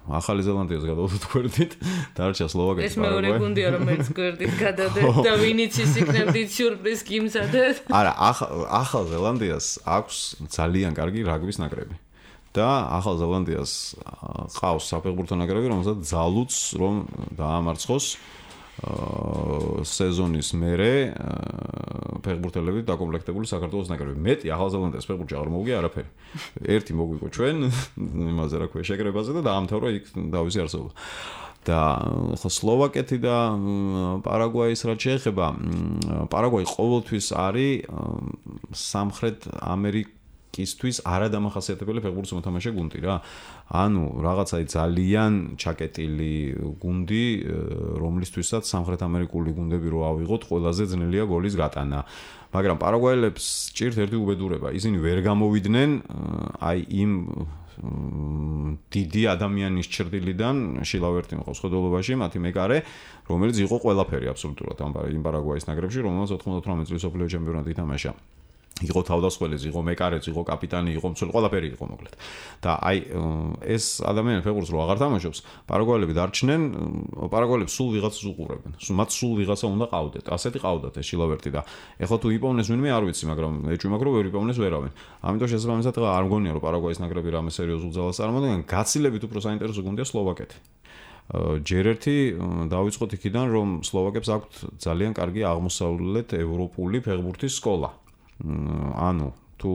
Speaker 3: ახალი ზელანდიას გადავდოთ გვერდით, დარჩა სლოვაკეთი,
Speaker 2: ეს მეორე გუნდია, რომელიც გვერდით გადადეთ და ვინიც ის იქნებდით სიურპრიზ გიმზადეთ.
Speaker 3: არა, ახალ ზელანდიას აქვს ძალიან კარგი რაგბის ნაკრები. და ახალ ზელანდიას ყავს საფეხბურთო ნაკრები, რომელსაც ძალუც რომ დაამარცხოს სეზონის მერე ფეხბურთელებით დაკომპლექტებული საქართველოს ნაკრები. მეტი ახალ ზელანდიას ფეხბურთში არ მოვიგე არაფერი. ერთი მოგვიგო ჩვენ იმაზე რა ქვია შეკრებაზე და დაამთავრა იქ დავისი არსებობა. და სლოვაკეთი და პარაგვაის რაც შეეხება, პარაგვაი ყოველთვის არის სამხრეთ ამერიკისთვის არადამახასიათებელი ფეხბურთის მოთამაშე გუნდი რა. ანუ რაღაცა ძალიან ჩაკეტილი გუნდი, რომლისთვისაც სამხრეთ ამერიკული გუნდები რო ავიღოთ, ყველაზე ძნელია გოლის გატანა. მაგრამ პარაგვაელებს ჭირთ ერთი უბედურება, ისინი ვერ გამოვიდნენ აი იმ დიდი ადამიანის ჭრდილიდან შილავერტი მყავს ხედულობაში, მათი მეკარე, რომელიც იყო ყველაფერი აბსოლუტურად იმ პარაგვაის ნაკრებში, რომელსაც 98 წლის მსოფლიო ჩემპიონატი ითამაშა. იყო თავდასხმელიც, იყო მეკარეც, იყო კაპიტანი, იყო მცველი, ყველაფერი იყო მოკლედ. და აი ეს ადამიანი ფეხბურთს რო აღარ თამაშობს, პარაგვაელები დარჩნენ, პარაგვაელებს სულ ვიღაცას უყურებენ. მათ სულ ვიღაცა უნდა ყავდეთ. ასეთი ყავდათ ეს შილავერტი და ეხლა თუ იპოვნეს ვინმე არ ვიცი, მაგრამ ეჭვი მაქვს რომ ვერ იპოვნეს ვერავინ. ამიტომ შესაბამისად არ მგონია რომ პარაგვაის ნაკრები რამე სერიოზულ ძალას წარმოადგენენ. გაცილებით უფრო საინტერესო გუნდია სლოვაკეთი. ჯერ ერთი დავიწყოთ იქიდან რომ სლოვაკებს აქვთ ძალიან კარგი აღმოსავლეთ ევროპული ფეხბურთის სკოლა. ანუ თუ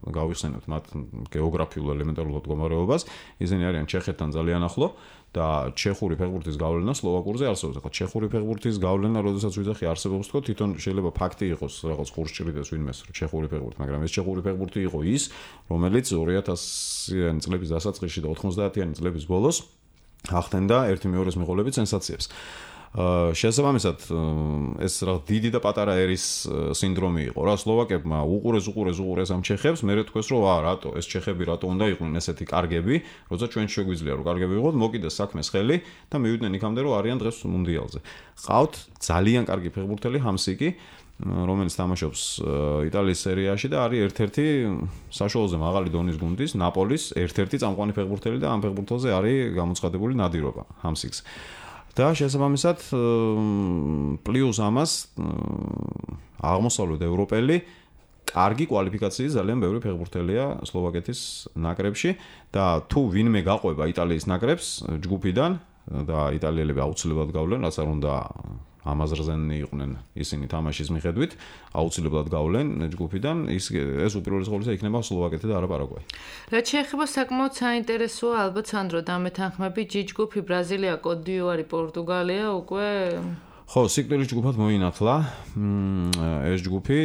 Speaker 3: გავიხსენებთ მათ გეოგრაფიულ ელემენტარულ მდგომარეობას, ისინი არიან ჩეხეთთან ძალიან ახლო და ჩეხური ფეხბურთის გავლენა სლოვაკურზე არსებობს. ახლა ჩეხური ფეხბურთის გავლენა, როდესაც ვიძახი არსებობს თქო, თვითონ შეიძლება ფაქტი იყოს, რაღაც ხურს ჭრიდეს ვინმეს ჩეხური ფეხბურთი, მაგრამ ეს ჩეხური ფეხბურთი იყო ის, რომელიც 2000-იანი წლების დასაწყისში და 90-იანი წლების ბოლოს ახდენდა ერთი მეორეს მიღოლებით სენსაციებს. შესაბამისად ეს რა დიდი და პატარა ერის სინდრომი იყო რა სლოვაკებმა უყურეს ამ ჩეხებს მე თქვეს რომ რატო ეს ჩეხები რატო უნდა იყვნენ ესეთი კარგები როცა ჩვენ შეგვიძლია რომ კარგები ვიყოთ მოკიდეს საქმეს ხელი და მივიდნენ იქამდე რომ არიან დღეს მუნდიალზე ყავთ ძალიან კარგი ფეხბურთელი ჰამსიკი რომელიც თამაშობს იტალიის სერიაში და არის ერთ-ერთი საშუალოზე მაღალი დონის გუნდის ნაპოლის ერთ-ერთი წამყვანი ფეხბურთელი და ამ ფეხბურთელზე არის გამოცხადებული ნადირობა ჰამსიკს და შესაბამისად პლუს ამას აღმოსავლეთ ევროპელი კარგი კვალიფიკაციის ძალიან ბევრი ფეხბურთელია სლოვაკეთის ნაკრებში და თუ ვინმე გაყვება იტალიის ნაკრებს ჯგუფიდან და იტალიელები აუცილებლად გავლენ რაც არ უნდა ამაზრზენი იყვნენ ისინი თამაშის მიხედვით აუცილებლად გავლენ ჯგუფიდან ეს უპირველეს ყოვლისა იქნება სლოვაკეთი და არა პარაგვაი.
Speaker 2: რაც შეეხება საკმაოდ საინტერესოა ალბათ სანდრო დამეთანხმები G ჯგუფი ბრაზილია, კოტ-დიუარი, პორტუგალია უკვე
Speaker 3: ხო, სიკვდილის ჯგუფად მოინათლა ეს ჯგუფი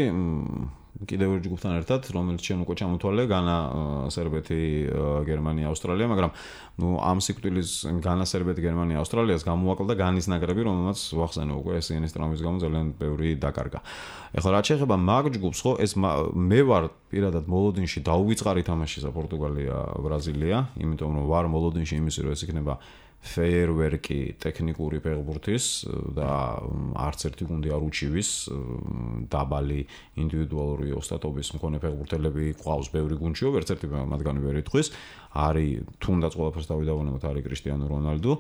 Speaker 3: კიდევ ერთ ჯგუფთან ერთად, რომელიც ჩვენ უკვე ჩამოთვალე, განა, სერბეთი, გერმანია, ავსტრალია, მაგრამ ამ სიკვდილის განა, სერბეთი, გერმანია, ავსტრალიას გამოაკლდა განის ნაკრები, რომელმაც ვახსენე უკვე ესენის ტრამვის გამო ძალიან ბევრი დაკარგა. ეხლა რაც შეეხება მაგ ჯგუფს, ხო, ეს მე ვარ პირადად მოლოდინში დაუვიწყარი თამაშისა პორტუგალია, ბრაზილია, იმიტომ რომ ვარ მოლოდინში იმისი, რომ ეს იქნება ფეიერვერკი ტექნიკური ფეხბურთის და არც ერთი გუნდი არ უჩივის დაბალი ინდივიდუალური ოსტატობის მქონე ფეხბურთელები ყავს ბევრი გუნდშიო, ვერც ერთი მათგანი ვერ იტყვის, არის თუნდაც ყველაფერს დავიდავანებთ, არის კრისტიანო რონალდო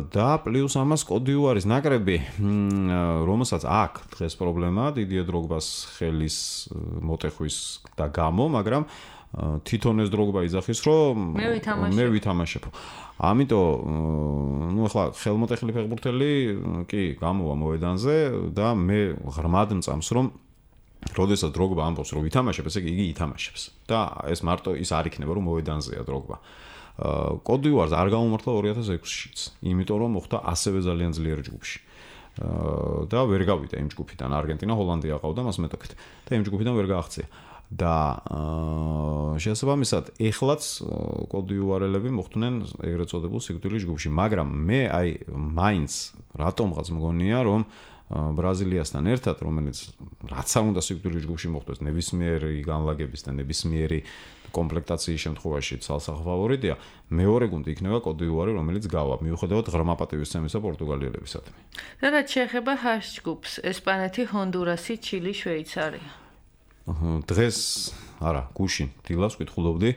Speaker 3: და პლუს ამას კოტ-დიუარის ნაკრები, რომელსაც აქვს დღეს პრობლემა დიდიე დროგბას ხელის მოტეხვის და გამო, მაგრამ თვითონ ეს დროგბა იძახის, რომ მე ვითამაშებ. ამიტომ ახლა ხელმოტეხილი ფეხბურთელი კი გამოვა მოედანზე და მე ღრმად მწამს რომ როდესაც დროგბა ამბობს რომ ვითამაშებ, ესე იგი ითამაშებს და ეს მარტო ის არ იქნება რომ მოედანზეა დროგბა. კოტ-დიუარს არ გამომართლა 2006-შიც, იმიტომ რომ მოხდა ასევე ძალიან ძლიერი ჯგუფში. და ვერ გავიდა იმ ჯგუფიდან, არგენტინა, ჰოლანდია ყავდა მას მეტოქით და იმ ჯგუფიდან ვერ გააღწია. და შესაბამისად ეხლაც კოტ-დიუარელები მოხვდნენ ეგრეთ წოდებულ სიკვდილის ჯგუფში, მაგრამ მე აი მაინც რატომღაც მგონია რომ ბრაზილიასთან ერთად, რომელიც რაც არ უნდა სიკვდილის ჯგუფში მოხვდეს, ნებისმიერი განლაგების და ნებისმიერი კომპლექტაციის შემთხვევაში ცალსახა ფავორიტია, მეორე გუნდი იქნება კოტ-დ'ივუარი, რომელიც გავა, მიუხედავად ღრმა პატივისცემისა პორტუგალიელებისადმი.
Speaker 2: და რაც შეეხება ჰ ჯგუფს, ესპანეთი, ჰონდურასი, ჩილი, შვეიცარია.
Speaker 3: დღეს არა, გუშინ დილას ვკითხულობდი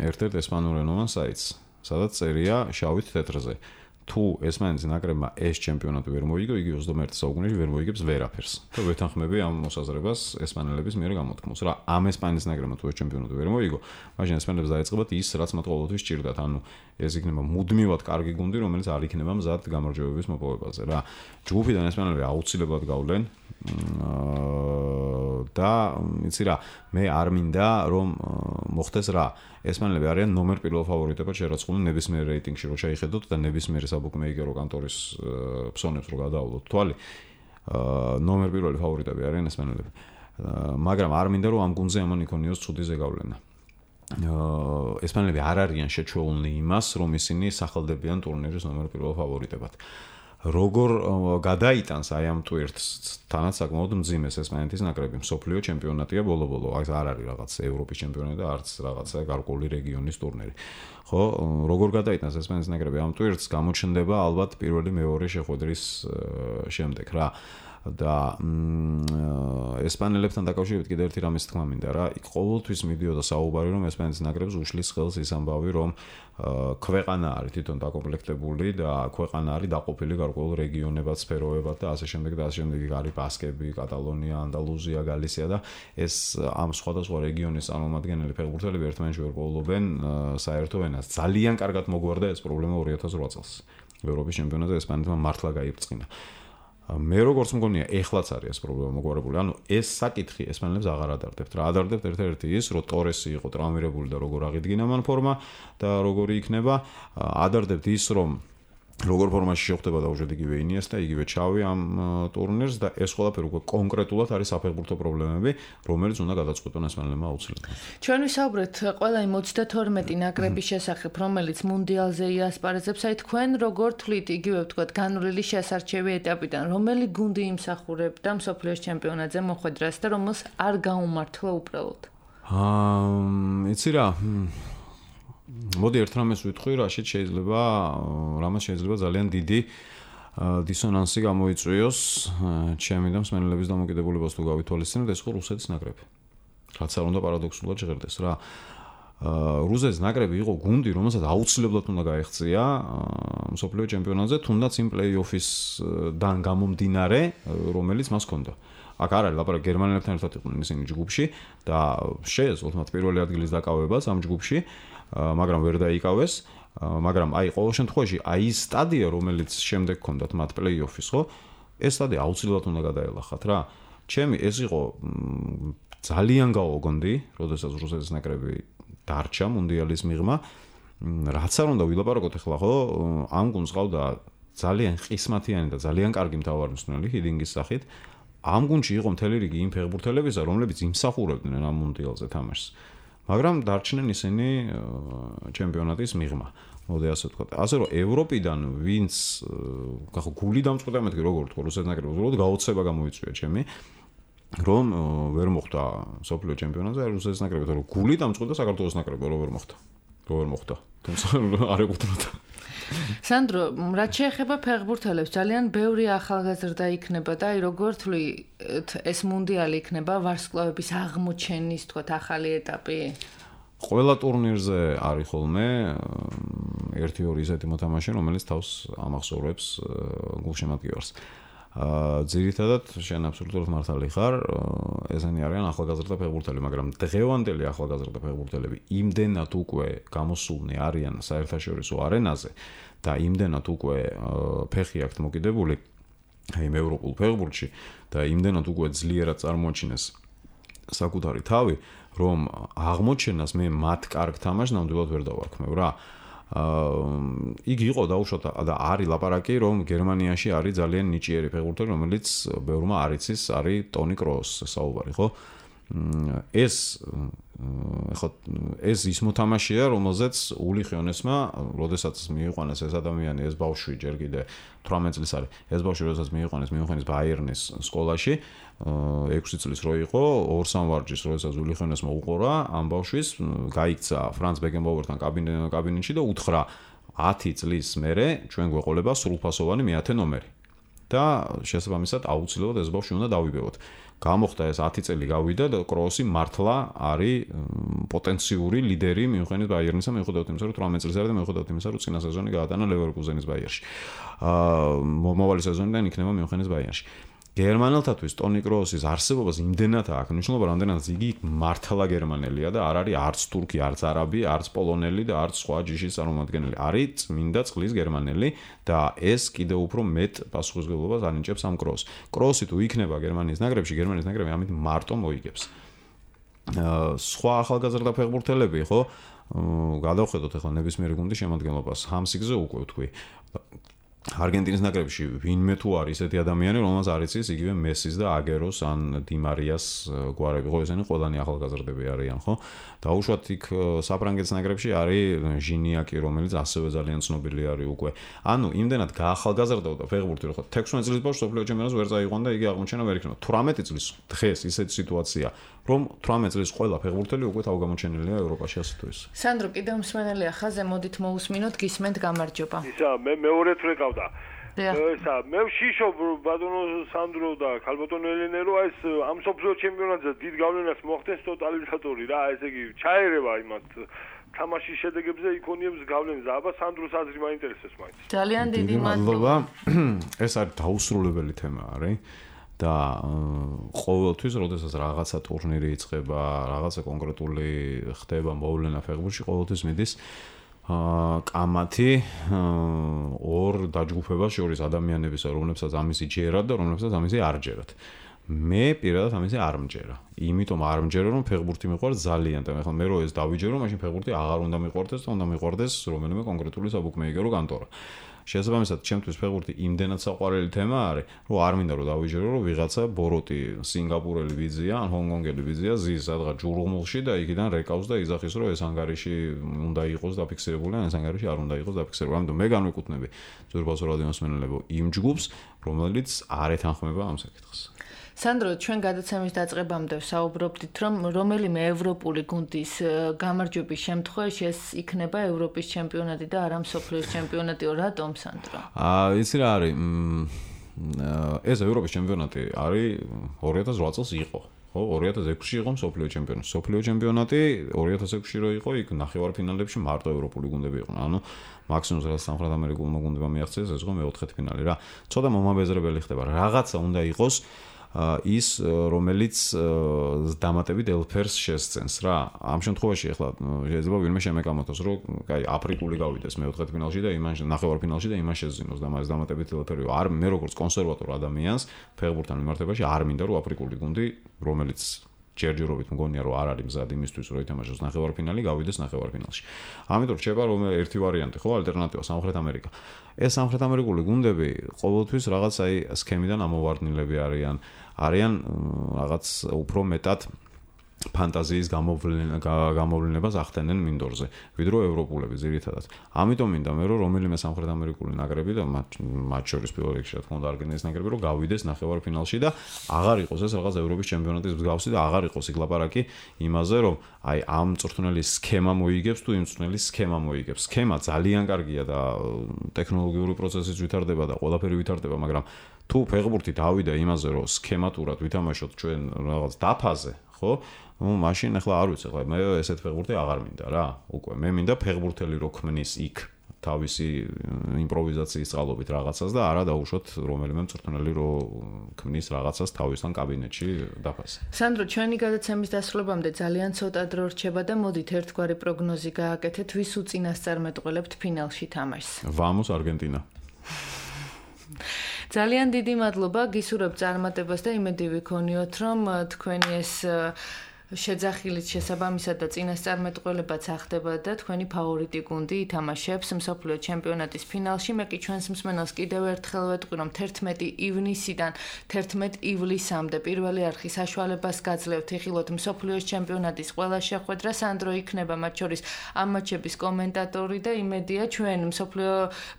Speaker 3: ერთ-ერთ ესპანურენოვან საიტს, სადაც წერია შავით თეთრზე. თუ ესპანეთის ნაკრებმა ეს ჩემპიონატი ვერ მოიგო, იგი 21 საუკუნეში ვერ მოიგებს ვერაფერს. და ვეთანხმები ამ მოსაზრებას ესპანელების მიერ გამოთქმულს. რა, ამ ესპანეთის ნაკრებმა თუ ეს ჩემპიონატი ვერ მოიგო, მაშინ ესპანელებს დაეწყებათ ის, რაც მათ ყოველთვის სჭირდათ. ანუ ეს იქნება მუდმივად კარგი გუნდი, რომელიც არ იქნება მზად გამარჯვებების მოპოვებაზე. რა, ჯგუფიდან ესპანელები აუცილებლად გავლენ და იცი რა, მე არ მინდა რომ მოხდეს რა. ესპანელები არიან ნომერ პირველ ფავორიტებად შერაცხული ნებისმიერ რეიტინგში, რო შეიხედოთ და ნებისმიერი საბუკმეიკერო კანტორის ფსონებს რო გადაავლოთ თვალი, ნომერ პირველი ფავორიტები არიან ესპანელები. მაგრამ არ მინდა რომ ამ გუნდზე ამან იქონიოს ცუდი ზეგავლენა. ესპანელები არ არიან შეჩვეულნი იმას, რომ ისინი სახელდებიან ტურნირის ნომერ პირველ ფავორიტებად. როგორ გადაიტანს აი ამ ტვირთს თანაც საკმაოდ მძიმეს ესპანეთის ნაკრები, მსოფლიო ჩემპიონატია ბოლო-ბოლო, აი არ არის რაღაც ევროპის ჩემპიონატი და არც რაღაცა გარკვეული რეგიონის ტურნირი. ხო, როგორ გადაიტანს ესპანეთის ნაკრები ამ ტვირთს, გამოჩნდება ალბათ პირველი მეორე შეხვედრის შემდეგ რა. და ესპანელებთან დაკავშირებით კიდევ ერთი რამის თქმა მინდა რა, იქ ყოველთვის მიდიოდა საუბარი რომ ესპანეთის ნაკრებს უშლის ხელს ის ამბავი რომ ქვეყანა არის თვითონ დაკომპლექტებული და ქვეყანა არის დაყოფილი გარკვეულ რეგიონებად, სფეროებად და ასე შემდეგ და ასე შემდეგ. არის ბასკები, კატალონია, ანდალუზია, გალისია და ეს ამ სხვადასხვა რეგიონის წარმომადგენელი ფეხბურთელები ერთმანეთში ვერ პოულობენ საერთო ენას. ძალიან კარგად მოგვარდა ეს პრობლემა 2008 წელს. ევროპის ჩემპიონატზე ესპანეთმა მართლა გაიბრწყინა. მე როგორც მგონია, ეხლაც არის ეს პრობლემა მოგვარებული. ანუ ეს საკითხი ესპანელებს აღარ ადარდებთ. რა ადარდებთ ერთ-ერთი ის, რომ ტორესი იყო ტრავმირებული და როგორ აღიდგინა მან ფორმა და როგორი იქნება. ადარდებთ ის, რომ როგორ ფორმაში შეხვდება დაუშვათ იგივე ინიესტა, იგივე ჩავი ამ ტურნირს და ეს ყველაფერი უკვე კონკრეტულად არის საფეხბურთო პრობლემები, რომელიც უნდა გადაწყვეტონ ესპანელებმა აუცილებლად.
Speaker 2: ჩვენ ვისაუბრეთ ყველა იმ 32 ნაკრების შესახებ, რომელიც მუნდიალზე იასპარეზებს, აი თქვენ როგორ თვლით იგივე ვთქვათ განვლილი შესარჩევი ეტაპიდან, რომელი გუნდი იმსახურებდა მსოფლიოს ჩემპიონატზე მოხვედრას და რომელს არ გაუმართლა უბრალოდ?
Speaker 3: იცი რა, მოდი ერთ რამეს ვიტყვი, რაშიც შეიძლება ძალიან დიდი დისონანსი გამოიწვიოს ჩემი და მსმენელების დამოკიდებულებას თუ გავითვალისწინებთ, ეს ხო რუსეთის ნაკრები. რაც არ უნდა პარადოქსულად ჟღერდეს რა. რუსეთის ნაკრები იყო გუნდი, რომელსაც აუცილებლად უნდა გაეღწია მსოფლიო ჩემპიონატზე, თუნდაც იმ პლეი-ოფისდან გამომდინარე, რომელიც მას ჰქონდა. აქ არ არის ლაპარაკი, გერმანელებთან ერთად იყვნენ ისინი ჯგუფში და შეეძლოთ მათ პირველი ადგილის დაკავებას ამ ჯგუფში, მაგრამ ვერ დაიკავეს, მაგრამ აი ყოველ შემთხვევაში აი ის სტადია, რომელიც შემდეგ ჰქონდათ მათ პლეი-ოფის, ხო? ეს სტადია აუცილებლად უნდა გადაელახათ რა. ჩემი ეს იყო ძალიან გაუგონდი, როდესაც რუსეთის ნაკრები დარჩა მუნდიალის მიღმა. რაც არ უნდა ვილაპარაკოთ ახლა, ხო? ამ გუნდს ყავდა ძალიან ყისმათიანი და ძალიან კარგი მთავარმცველი ჰიდინგის სახით. ამ გუნდში იყო მთელი რიგი იმ ფეხბურთელებისა, რომლებიც იმსახურებდნენ ამ მუნდიალზე თამაშს. მაგრამ დარჩნენ ისინი ჩემპიონატის მიღმა. მოდი ასე ვთქვათ. ასე რომ ევროპიდან ვინც გული დამწყვეტა მეთქი როგორ თქო რუსეთის ნაკრებს უბრალოდ გაოცება გამოიწვია ჩემი რომ ვერ მოხდა სოფლიო ჩემპიონატზე რუსეთის ნაკრები, თორე გული დამწყვეტა საქართველოს ნაკრები რომ ვერ მოხდა. თუმცა არ ეკუთვნოდა.
Speaker 2: სანდრო, რაც შეეხება ფეხბურთელებს, ძალიან ბევრი ახალგაზრდა იქნება და აი როგორ თვლით ეს მუნდიალი იქნება ვარსკვლავების აღმოჩენის, თქვათ, ახალი ეტაპი?
Speaker 3: ყველა ტურნირზე არის ხოლმე 1-2 ისეთი მოთამაშე, რომელიც თავს ამახსოვრებს გულშემატკივარს. ძირითადად შენ აბსოლუტურად მართალი ხარ, ესენი არიან ახალგაზრდა ფეხბურთელები, მაგრამ დღევანდელი ახალგაზრდა ფეხბურთელები იმდენად უკვე გამოსულნი არიან საერთაშორისო არენაზე და იმდენად უკვე ფეხი აქვთ მოკიდებული აი ევროპულ ფეხბურთში და იმდენად უკვე ძლიერად წარმოაჩინეს საკუთარი თავი, რომ აღმოჩენას მე მათ კარგ თამაშს ნამდვილად ვერ დავარქმევ რა. იგი იყო დაუშვათ და არის ლაპარაკი, რომ გერმანიაში არის ძალიან ნიჭიერი ფეხბურთელი, რომელიც ბევრმა არ იცის, არის ტონი კროუსს საუბარი, ხო? ეს ის მოთამაშეა, რომელზეც ული ხიონესმა, როდესაც მიიყვანეს ეს ადამიანი, ეს ბავშვი ჯერ კიდე 18 წლის არის. ეს ბავშვი როდესაც მიიყვანეს მიუნხენის ბაიერნის სკოლაში, 6 წლის რო იყო, 2-3 ვარჯიშს როდესაც ული ხიონესმა უყურა, ამ ბავშვის გაიქცა ფრანც ბეკენბაუერთან კაბინეტში და უთხრა 10 წლის მერე ჩვენ გვეყოლება სრულფასოვანი მე-10 ნომერი. და შესაბამისად აუცილებლად ეს ბავშვი უნდა დავიბევოთ. გამოხდა ეს 10 წელი გავიდა და კროსი მართლა არის პოტენციური ლიდერი მიუნხენის ბაიერნისა, მიუხედავად იმისა, რომ 18 წელს არის და მიუხედავად იმისა, რომ წინა სეზონი გაატანა ლევერკუზენის ბაიერში. მომავალი სეზონიდან იქნება მიუნხენის ბაიერში. გერმანელთათვის ტონი კროსის არსებობას იმდენად აქვს მნიშვნელობა, რამდენადაც იგი მართლა გერმანელია და არ არის არც თურქი, არც არაბი, არც პოლონელი და არც სხვა ჯიშის წარმომადგენელი. არის წმინდა წყლის გერმანელი და ეს კიდევ უფრო მეტ პასუხისმგებლობას ანიჭებს ამ კროსს. კროსი თუ იქნება გერმანიის ნაკრებში, გერმანიის ნაკრები ამით მარტო მოიგებს. სხვა ახალგაზრდა ფეხბურთელები, ხო? გადავხედოთ ახლა ნებისმიერი გუნდის შემადგენლობას. ჰამსიგზე უკვე ვთქვი. არგენტინის ნაკრებში ვინმე თუ არის ესეთი ადამიანი, რომელსაც არ იცის იგივე მესის და აგეროს ან დიმარიას გვარები, ხო ესენი ყველანი ახალგაზრდები არიან, ხო? დაუშვათ იქ საფრანგეთის ნაკრებში არის ჟინიაკი, რომელიც ასევე ძალიან ცნობილი არის უკვე. ანუ იმდენად გაახალგაზრდაოდა ფეხბურთი, რომ 16 წლის ბავშვს სოფლიო ჩემპიონატს ვერ წაიყვან და იგი აღმოჩენა ვერ იქნება. 18 წლის დღეს ისეთი სიტუაცია, რომ 18 წლის ყველა ფეხბურთელი უკვე თავგამოჩენილია ევროპაში ასე თუ ისე.
Speaker 2: სანდრო, კიდევ მსმენელია ხაზე, მოდით მოусმინოთ, გისმენთ, გამარჯობა.
Speaker 4: ისა მე მეორე თვე გავდა. ისა მე ვშიშობ ბატონო სანდრო და ქალბატონო ელენე რომ ეს ამ სოფლიო ჩემპიონატზე დიდ გავლენას მოახდენს ტოტალიზატორი რა, ესე იგი ჩაერევა იმათ თამაშის შედეგებზე იქონიებს გავლენას. აბა სანდროს აზრი მაინტერესებს მაინც.
Speaker 2: ძალიან დიდი მადლობა.
Speaker 3: ეს არის დაუსრულებელი თემა არის. და ყოველთვის, როდესაც რაღაცა ტურნირი იწყება, რაღაცა კონკრეტული ხდება მოვლენა ფეხბურთში, ყოველთვის მიდის კამათი ორ დაჯგუფებას შორის ადამიანებისა, რომლებსაც ამისი ჯერათ და რომლებსაც ამისი არ ჯერათ. მე პირადად ამისი არ მჯერა. იმიტომ არ მჯერა, რომ ფეხბურთი მიყვარს ძალიან და ახლა მე რო ეს დავიჯერო, მაშინ ფეხბურთი აღარ უნდა მიყვარდეს და უნდა მიყვარდეს რომელიმე კონკრეტული საბუქმეიკერო კანტორა. შესაბამისად, ჩემთვის ფეხბურთი იმდენად საყვარელი თემა არის, რომ არ მინდა რომ დავიჯერო, რომ ვიღაცა ბოროტი სინგაპურელი ვიზია, ან ჰონგკონგელი ვიზია ზის სადღაც ჯურღმულში და იქიდან რეკავს და იზახის, რომ ეს ანგარიში უნდა იყოს დაფიქსირებული, ან ეს ანგარიში არ უნდა იყოს დაფიქსირებული. ამიტომ მე განვიკუთვნები ძვირფასო რადიო მსმენელებო იმ ჯგუფს, რომელიც არ ეთანხმება ამ საკითხს.
Speaker 2: სანდრო, ჩვენ გადაცემის დაწყებამდე საუბრობდით, რომ რომელიმე ევროპული გუნდის გამარჯვების შემთხვევაში ეს იქნება ევროპის ჩემპიონატი და არა მსოფლიოს ჩემპიონატი. რატომ, სანდრო?
Speaker 3: იცი რა არის? ეს ევროპის ჩემპიონატი არის 2008 წელს იყო. ხო, 2006-ში იყო მსოფლიო ჩემპიონატი. მსოფლიო ჩემპიონატი 2006-ში რო იყო, იქ ნახევარფინალებში მარტო ევროპული გუნდები იყვნენ. ანუ მაქსიმუმს რაც სამხრეთ ამერიკულმა გუნდებმა მიაღწიეს, ეს იყო მე-4 ფინალი რა. ცოტა მომაბეზრებელი ხდება. რაღაცა უნდა იყოს ის რომელიც დამატებით ელფერს შესცენს რა. ამ შემთხვევაში ახლა შეიძლება ვინმე შემეკამათოს, რომ კაი აფრიკული გავიდეს მე-4 ფინალში და იმან ნახევარფინალში და იმან შეძინოს და მას დამატებით ელფერი. არ მე როგორც კონსერვატორ ადამიანს ფეხბურთთან მიმართებაში არ მინდა რომ აფრიკული გუნდი, რომელიც ჯერჯერობით მგონია რომ არ არის მზად იმისთვის რომ ითამაშოს ნახევარფინალი, გავიდეს ნახევარფინალში. ამიტომ რჩება რომ ერთი ვარიანტი ხო, ალტერნატივა სამხრეთ ამერიკა. ეს სამხრეთ ამერიკული გუნდები ყოველთვის რაღაც აი სქემიდან ამოვარდნილები არიან რაღაც უფრო მეტად ფანტაზიის გამოვლენებას ახდენენ მინდორზე, ვიდრე ევროპულები ძირითადად. ამიტომ მინდა მე რომ რომელიმე სამხრეთ ამერიკული ნაკრები და მათ შორის პირველ რიგში რა თქმა უნდა არგენტინის ნაკრები რომ გავიდეს ნახევარფინალში და აღარ იყოს ეს რაღაც ევროპის ჩემპიონატის მსგავსი და აღარ იყოს იქ ლაპარაკი იმაზე რომ აი ამ მწვრთნელის სქემა მოიგებს თუ იმ მწვრთნელის სქემა მოიგებს. სქემა ძალიან კარგია და ტექნოლოგიური პროცესიც ვითარდება და ყველაფერი ვითარდება, მაგრამ თუ ფეხბურთი დავიდა იმაზე რომ სქემატურად ვითამაშოთ ჩვენ რაღაც დაფაზე, ხო? მაშინ ახლა არ ვიცი, ახლა მე ესეთ ფეხბურთი აღარ მინდა რა. უკვე მე მინდა ფეხბურთელი რო ქმნის იქ თავისი იმპროვიზაციის წყალობით რაღაცას და არა დაუშვათ რომელიმე მწვრთნელი რო ქმნის რაღაცას თავისთან კაბინეტში დაფაზე.
Speaker 2: სანდრო, ჩვენი გადაცემის დასრულებამდე ძალიან ცოტა დრო რჩება და მოდით ერთგვარი პროგნოზი გააკეთეთ, ვის უწინასწარმეტყველებთ ფინალში თამაშს.
Speaker 3: ვამოს არგენტინა.
Speaker 2: ძალიან დიდი მადლობა, გისურვებთ წარმატებას და იმედი ვიქონიოთ, რომ თქვენი ეს შეძახილით შესაბამისად და წინასწარმეტყველებაც ახდება და თქვენი ფავორიტი გუნდი ითამაშებს მსოფლიო ჩემპიონატის ფინალში. მე კი ჩვენს მსმენელს კიდევ ერთხელ ვეტყვი, რომ 11 ივნისიდან 11 ივლისამდე პირველი არხი საშუალებას გაძლევთ იხილოთ მსოფლიოს ჩემპიონატის ყველა შეხვედრა. სანდრო იქნება მათ შორის ამ მატჩების კომენტატორი და იმედია ჩვენ მსოფლიო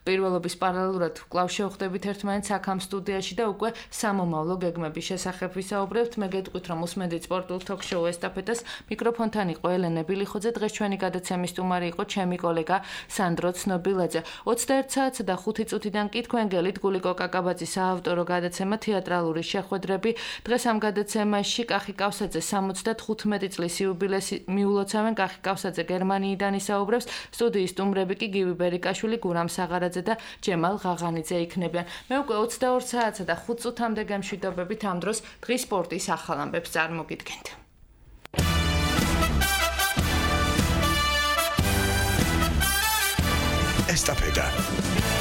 Speaker 2: პირველობის პარალელურად კვლავ შევხვდებით ერთმანეთს აქ ამ სტუდიაში და უკვე სამომავლო გეგმების შესახებ ვისაუბრებთ. მე გეტყვით, რომ უსმენთ სპორტულ თოქ-შოუ ესტაფეტას. მიკროფონთან იყო ელენე ბილიხოძე. დღეს ჩვენი გადაცემის სტუმარი იყო ჩემი კოლეგა სანდრო ცნობილაძე. 21 საათსა და 5 წუთიდან კი თქვენ გელით გულიკო კაკაბაძის საავტორო გადაცემა თეატრალური შეხვედრები. დღეს ამ გადაცემაში კახი კავსაძე 75 წლის იუბილეს მიულოცავენ. კახი კავსაძე გერმანიიდან ისაუბრებს. სტუდიის სტუმრები კი გივი ბერიკაშვილი, გურამ საღარაძე და ჯემალ ღაღანიძე იქნებიან. მე უკვე 22 საათსა და 5 წუთამდე გემშვიდობებით ამ დროს დღის სპორტის ახალ ამბებს წარმოგიდგენთ.
Speaker 1: Estafeta.